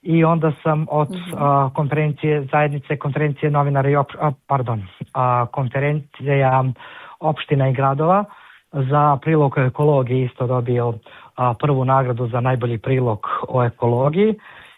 I onda sam od mm-hmm. a, konferencije zajednice, konferencije novinara i op, a, pardon, a, konferencija opština i gradova za prilog o ekologiji isto dobio a, prvu nagradu za najbolji prilog o ekologiji.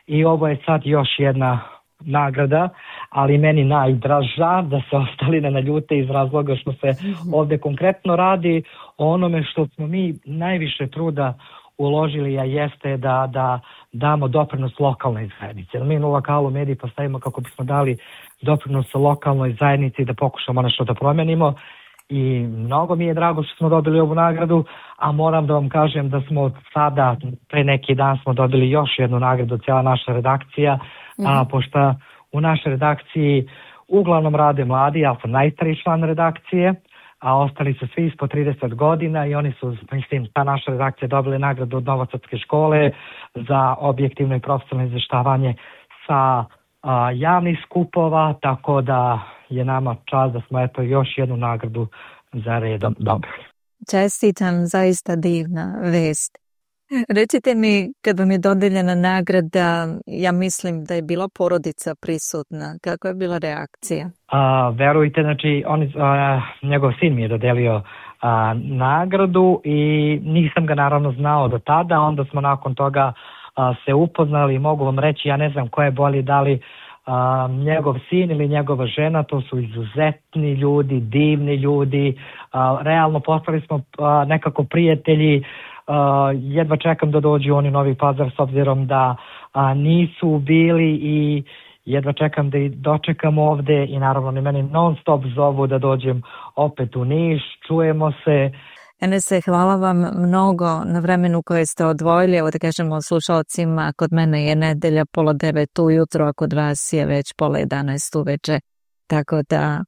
I ovo je sad još jedna nagrada, ali meni najdraža, da se ostali ne naljute iz razloga što se mm-hmm. ovdje konkretno radi o onome što smo mi najviše truda uložili, a jeste da, da damo doprinos lokalnoj zajednici. Mi u lokalu mediji postavimo kako bismo dali doprinos lokalnoj zajednici da pokušamo nešto da promenimo i mnogo mi je drago što smo dobili ovu nagradu, a moram da vam kažem da smo sada, pre neki dan smo dobili još jednu nagradu, cijela naša redakcija, mm. a, pošto u našoj redakciji uglavnom rade mladi, ja sam najstariji član redakcije, a ostali su svi ispod trideset godina i oni su, mislim, ta naša redakcija dobili nagradu od Novosadske škole za objektivno i profesionalno izveštavanje sa a, javnih skupova, tako da je nama čast da smo eto još jednu nagradu za redom dobili. Čestitam, zaista divna vest. Recite mi, kad vam je dodeljena nagrada, ja mislim da je bila porodica prisutna. Kako je bila reakcija? A, verujte, znači, on, a, njegov sin mi je dodelio a, nagradu i nisam ga naravno znao do tada, onda smo nakon toga a, se upoznali i mogu vam reći, ja ne znam ko je bolji, da li a, njegov sin ili njegova žena, to su izuzetni ljudi, divni ljudi, a, realno postali smo a, nekako prijatelji. Uh, jedva čekam da dođu oni u Novi Pazar s obzirom da uh, nisu bili i jedva čekam da ih dočekam ovde i naravno ni meni non stop zovu da dođem opet u Niš, čujemo se. Enese, hvala vam mnogo na vremenu koje ste odvojili, evo da kažemo slušalcima, kod mene je nedelja pola devet ujutro, a kod vas je već pola jedanaest uveče, tako da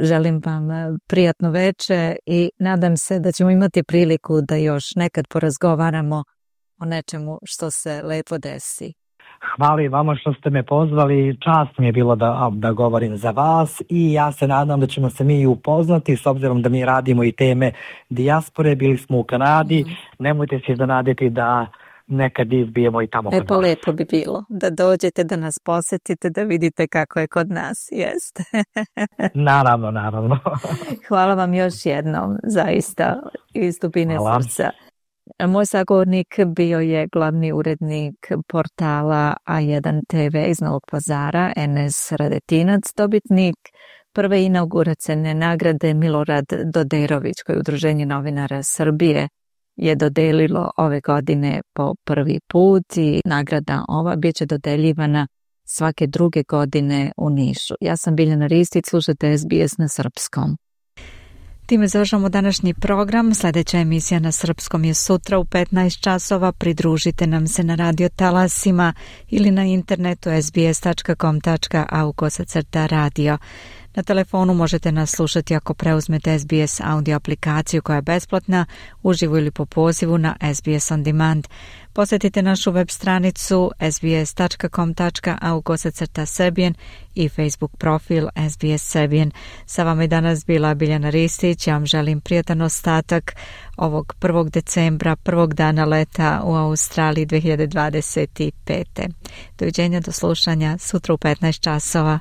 želim vam prijatno veče i nadam se da ćemo imati priliku da još nekad porazgovaramo o nečemu što se lepo desi. Hvala i vama što ste me pozvali, čast mi je bilo da, da govorim za vas i ja se nadam da ćemo se mi upoznati s obzirom da mi radimo i teme dijaspore, bili smo u Kanadi, mm. nemojte se zanaditi da nekad izbijemo i tamo. E pa lepo bi bilo da dođete, da nas posetite, da vidite kako je kod nas, jeste. Naravno, naravno. Hvala vam još jednom, zaista, iz dubine srca. Moj sagovornik bio je glavni urednik portala A jedan te ve iz Novog Pazara, Enes Radetinac, dobitnik prve inauguracione nagrade Milorad Doderović, koje je Udruženje novinara Srbije je dodelilo ove godine po prvi put i nagrada ova bit će dodeljivana svake druge godine u Nišu. Ja sam Biljana Ristić, slušate es bi es na srpskom. Time završamo današnji program. Sljedeća emisija na srpskom je sutra u petnaest časova. Pridružite nam se na radio talasima ili na internetu es bi es tačka com tačka a u kosacrta radio. Na telefonu možete nas slušati ako preuzmete es bi es audio aplikaciju koja je besplatna, uživo ili po pozivu na es bi es On Demand. Posjetite našu web stranicu es bi es tačka com tačka a u kosacrta Serbian i Facebook profil es bi es Serbian. Sa vama je danas bila Biljana Ristić. Ja vam želim prijatan ostatak ovog prvog decembra, prvog dana leta u Australiji dve hiljade dvadeset pete. Doviđenja, do slušanja sutra u petnaest časova.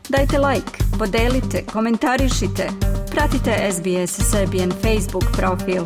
Dajte like, podelite, komentarišite. Pratite es bi es Serbian Facebook profil.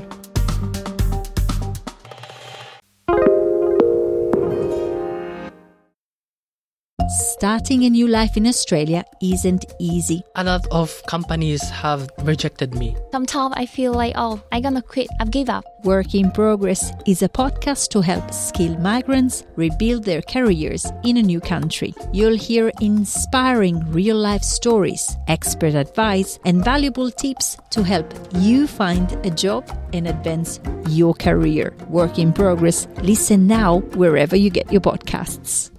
Starting a new life in Australia isn't easy. A lot of companies have rejected me. Sometimes I feel like, oh, I'm gonna quit, I've give up. Work in Progress is a podcast to help skilled migrants rebuild their careers in a new country. You'll hear inspiring real-life stories, expert advice, and valuable tips to help you find a job and advance your career. Work in Progress. Listen now wherever you get your podcasts.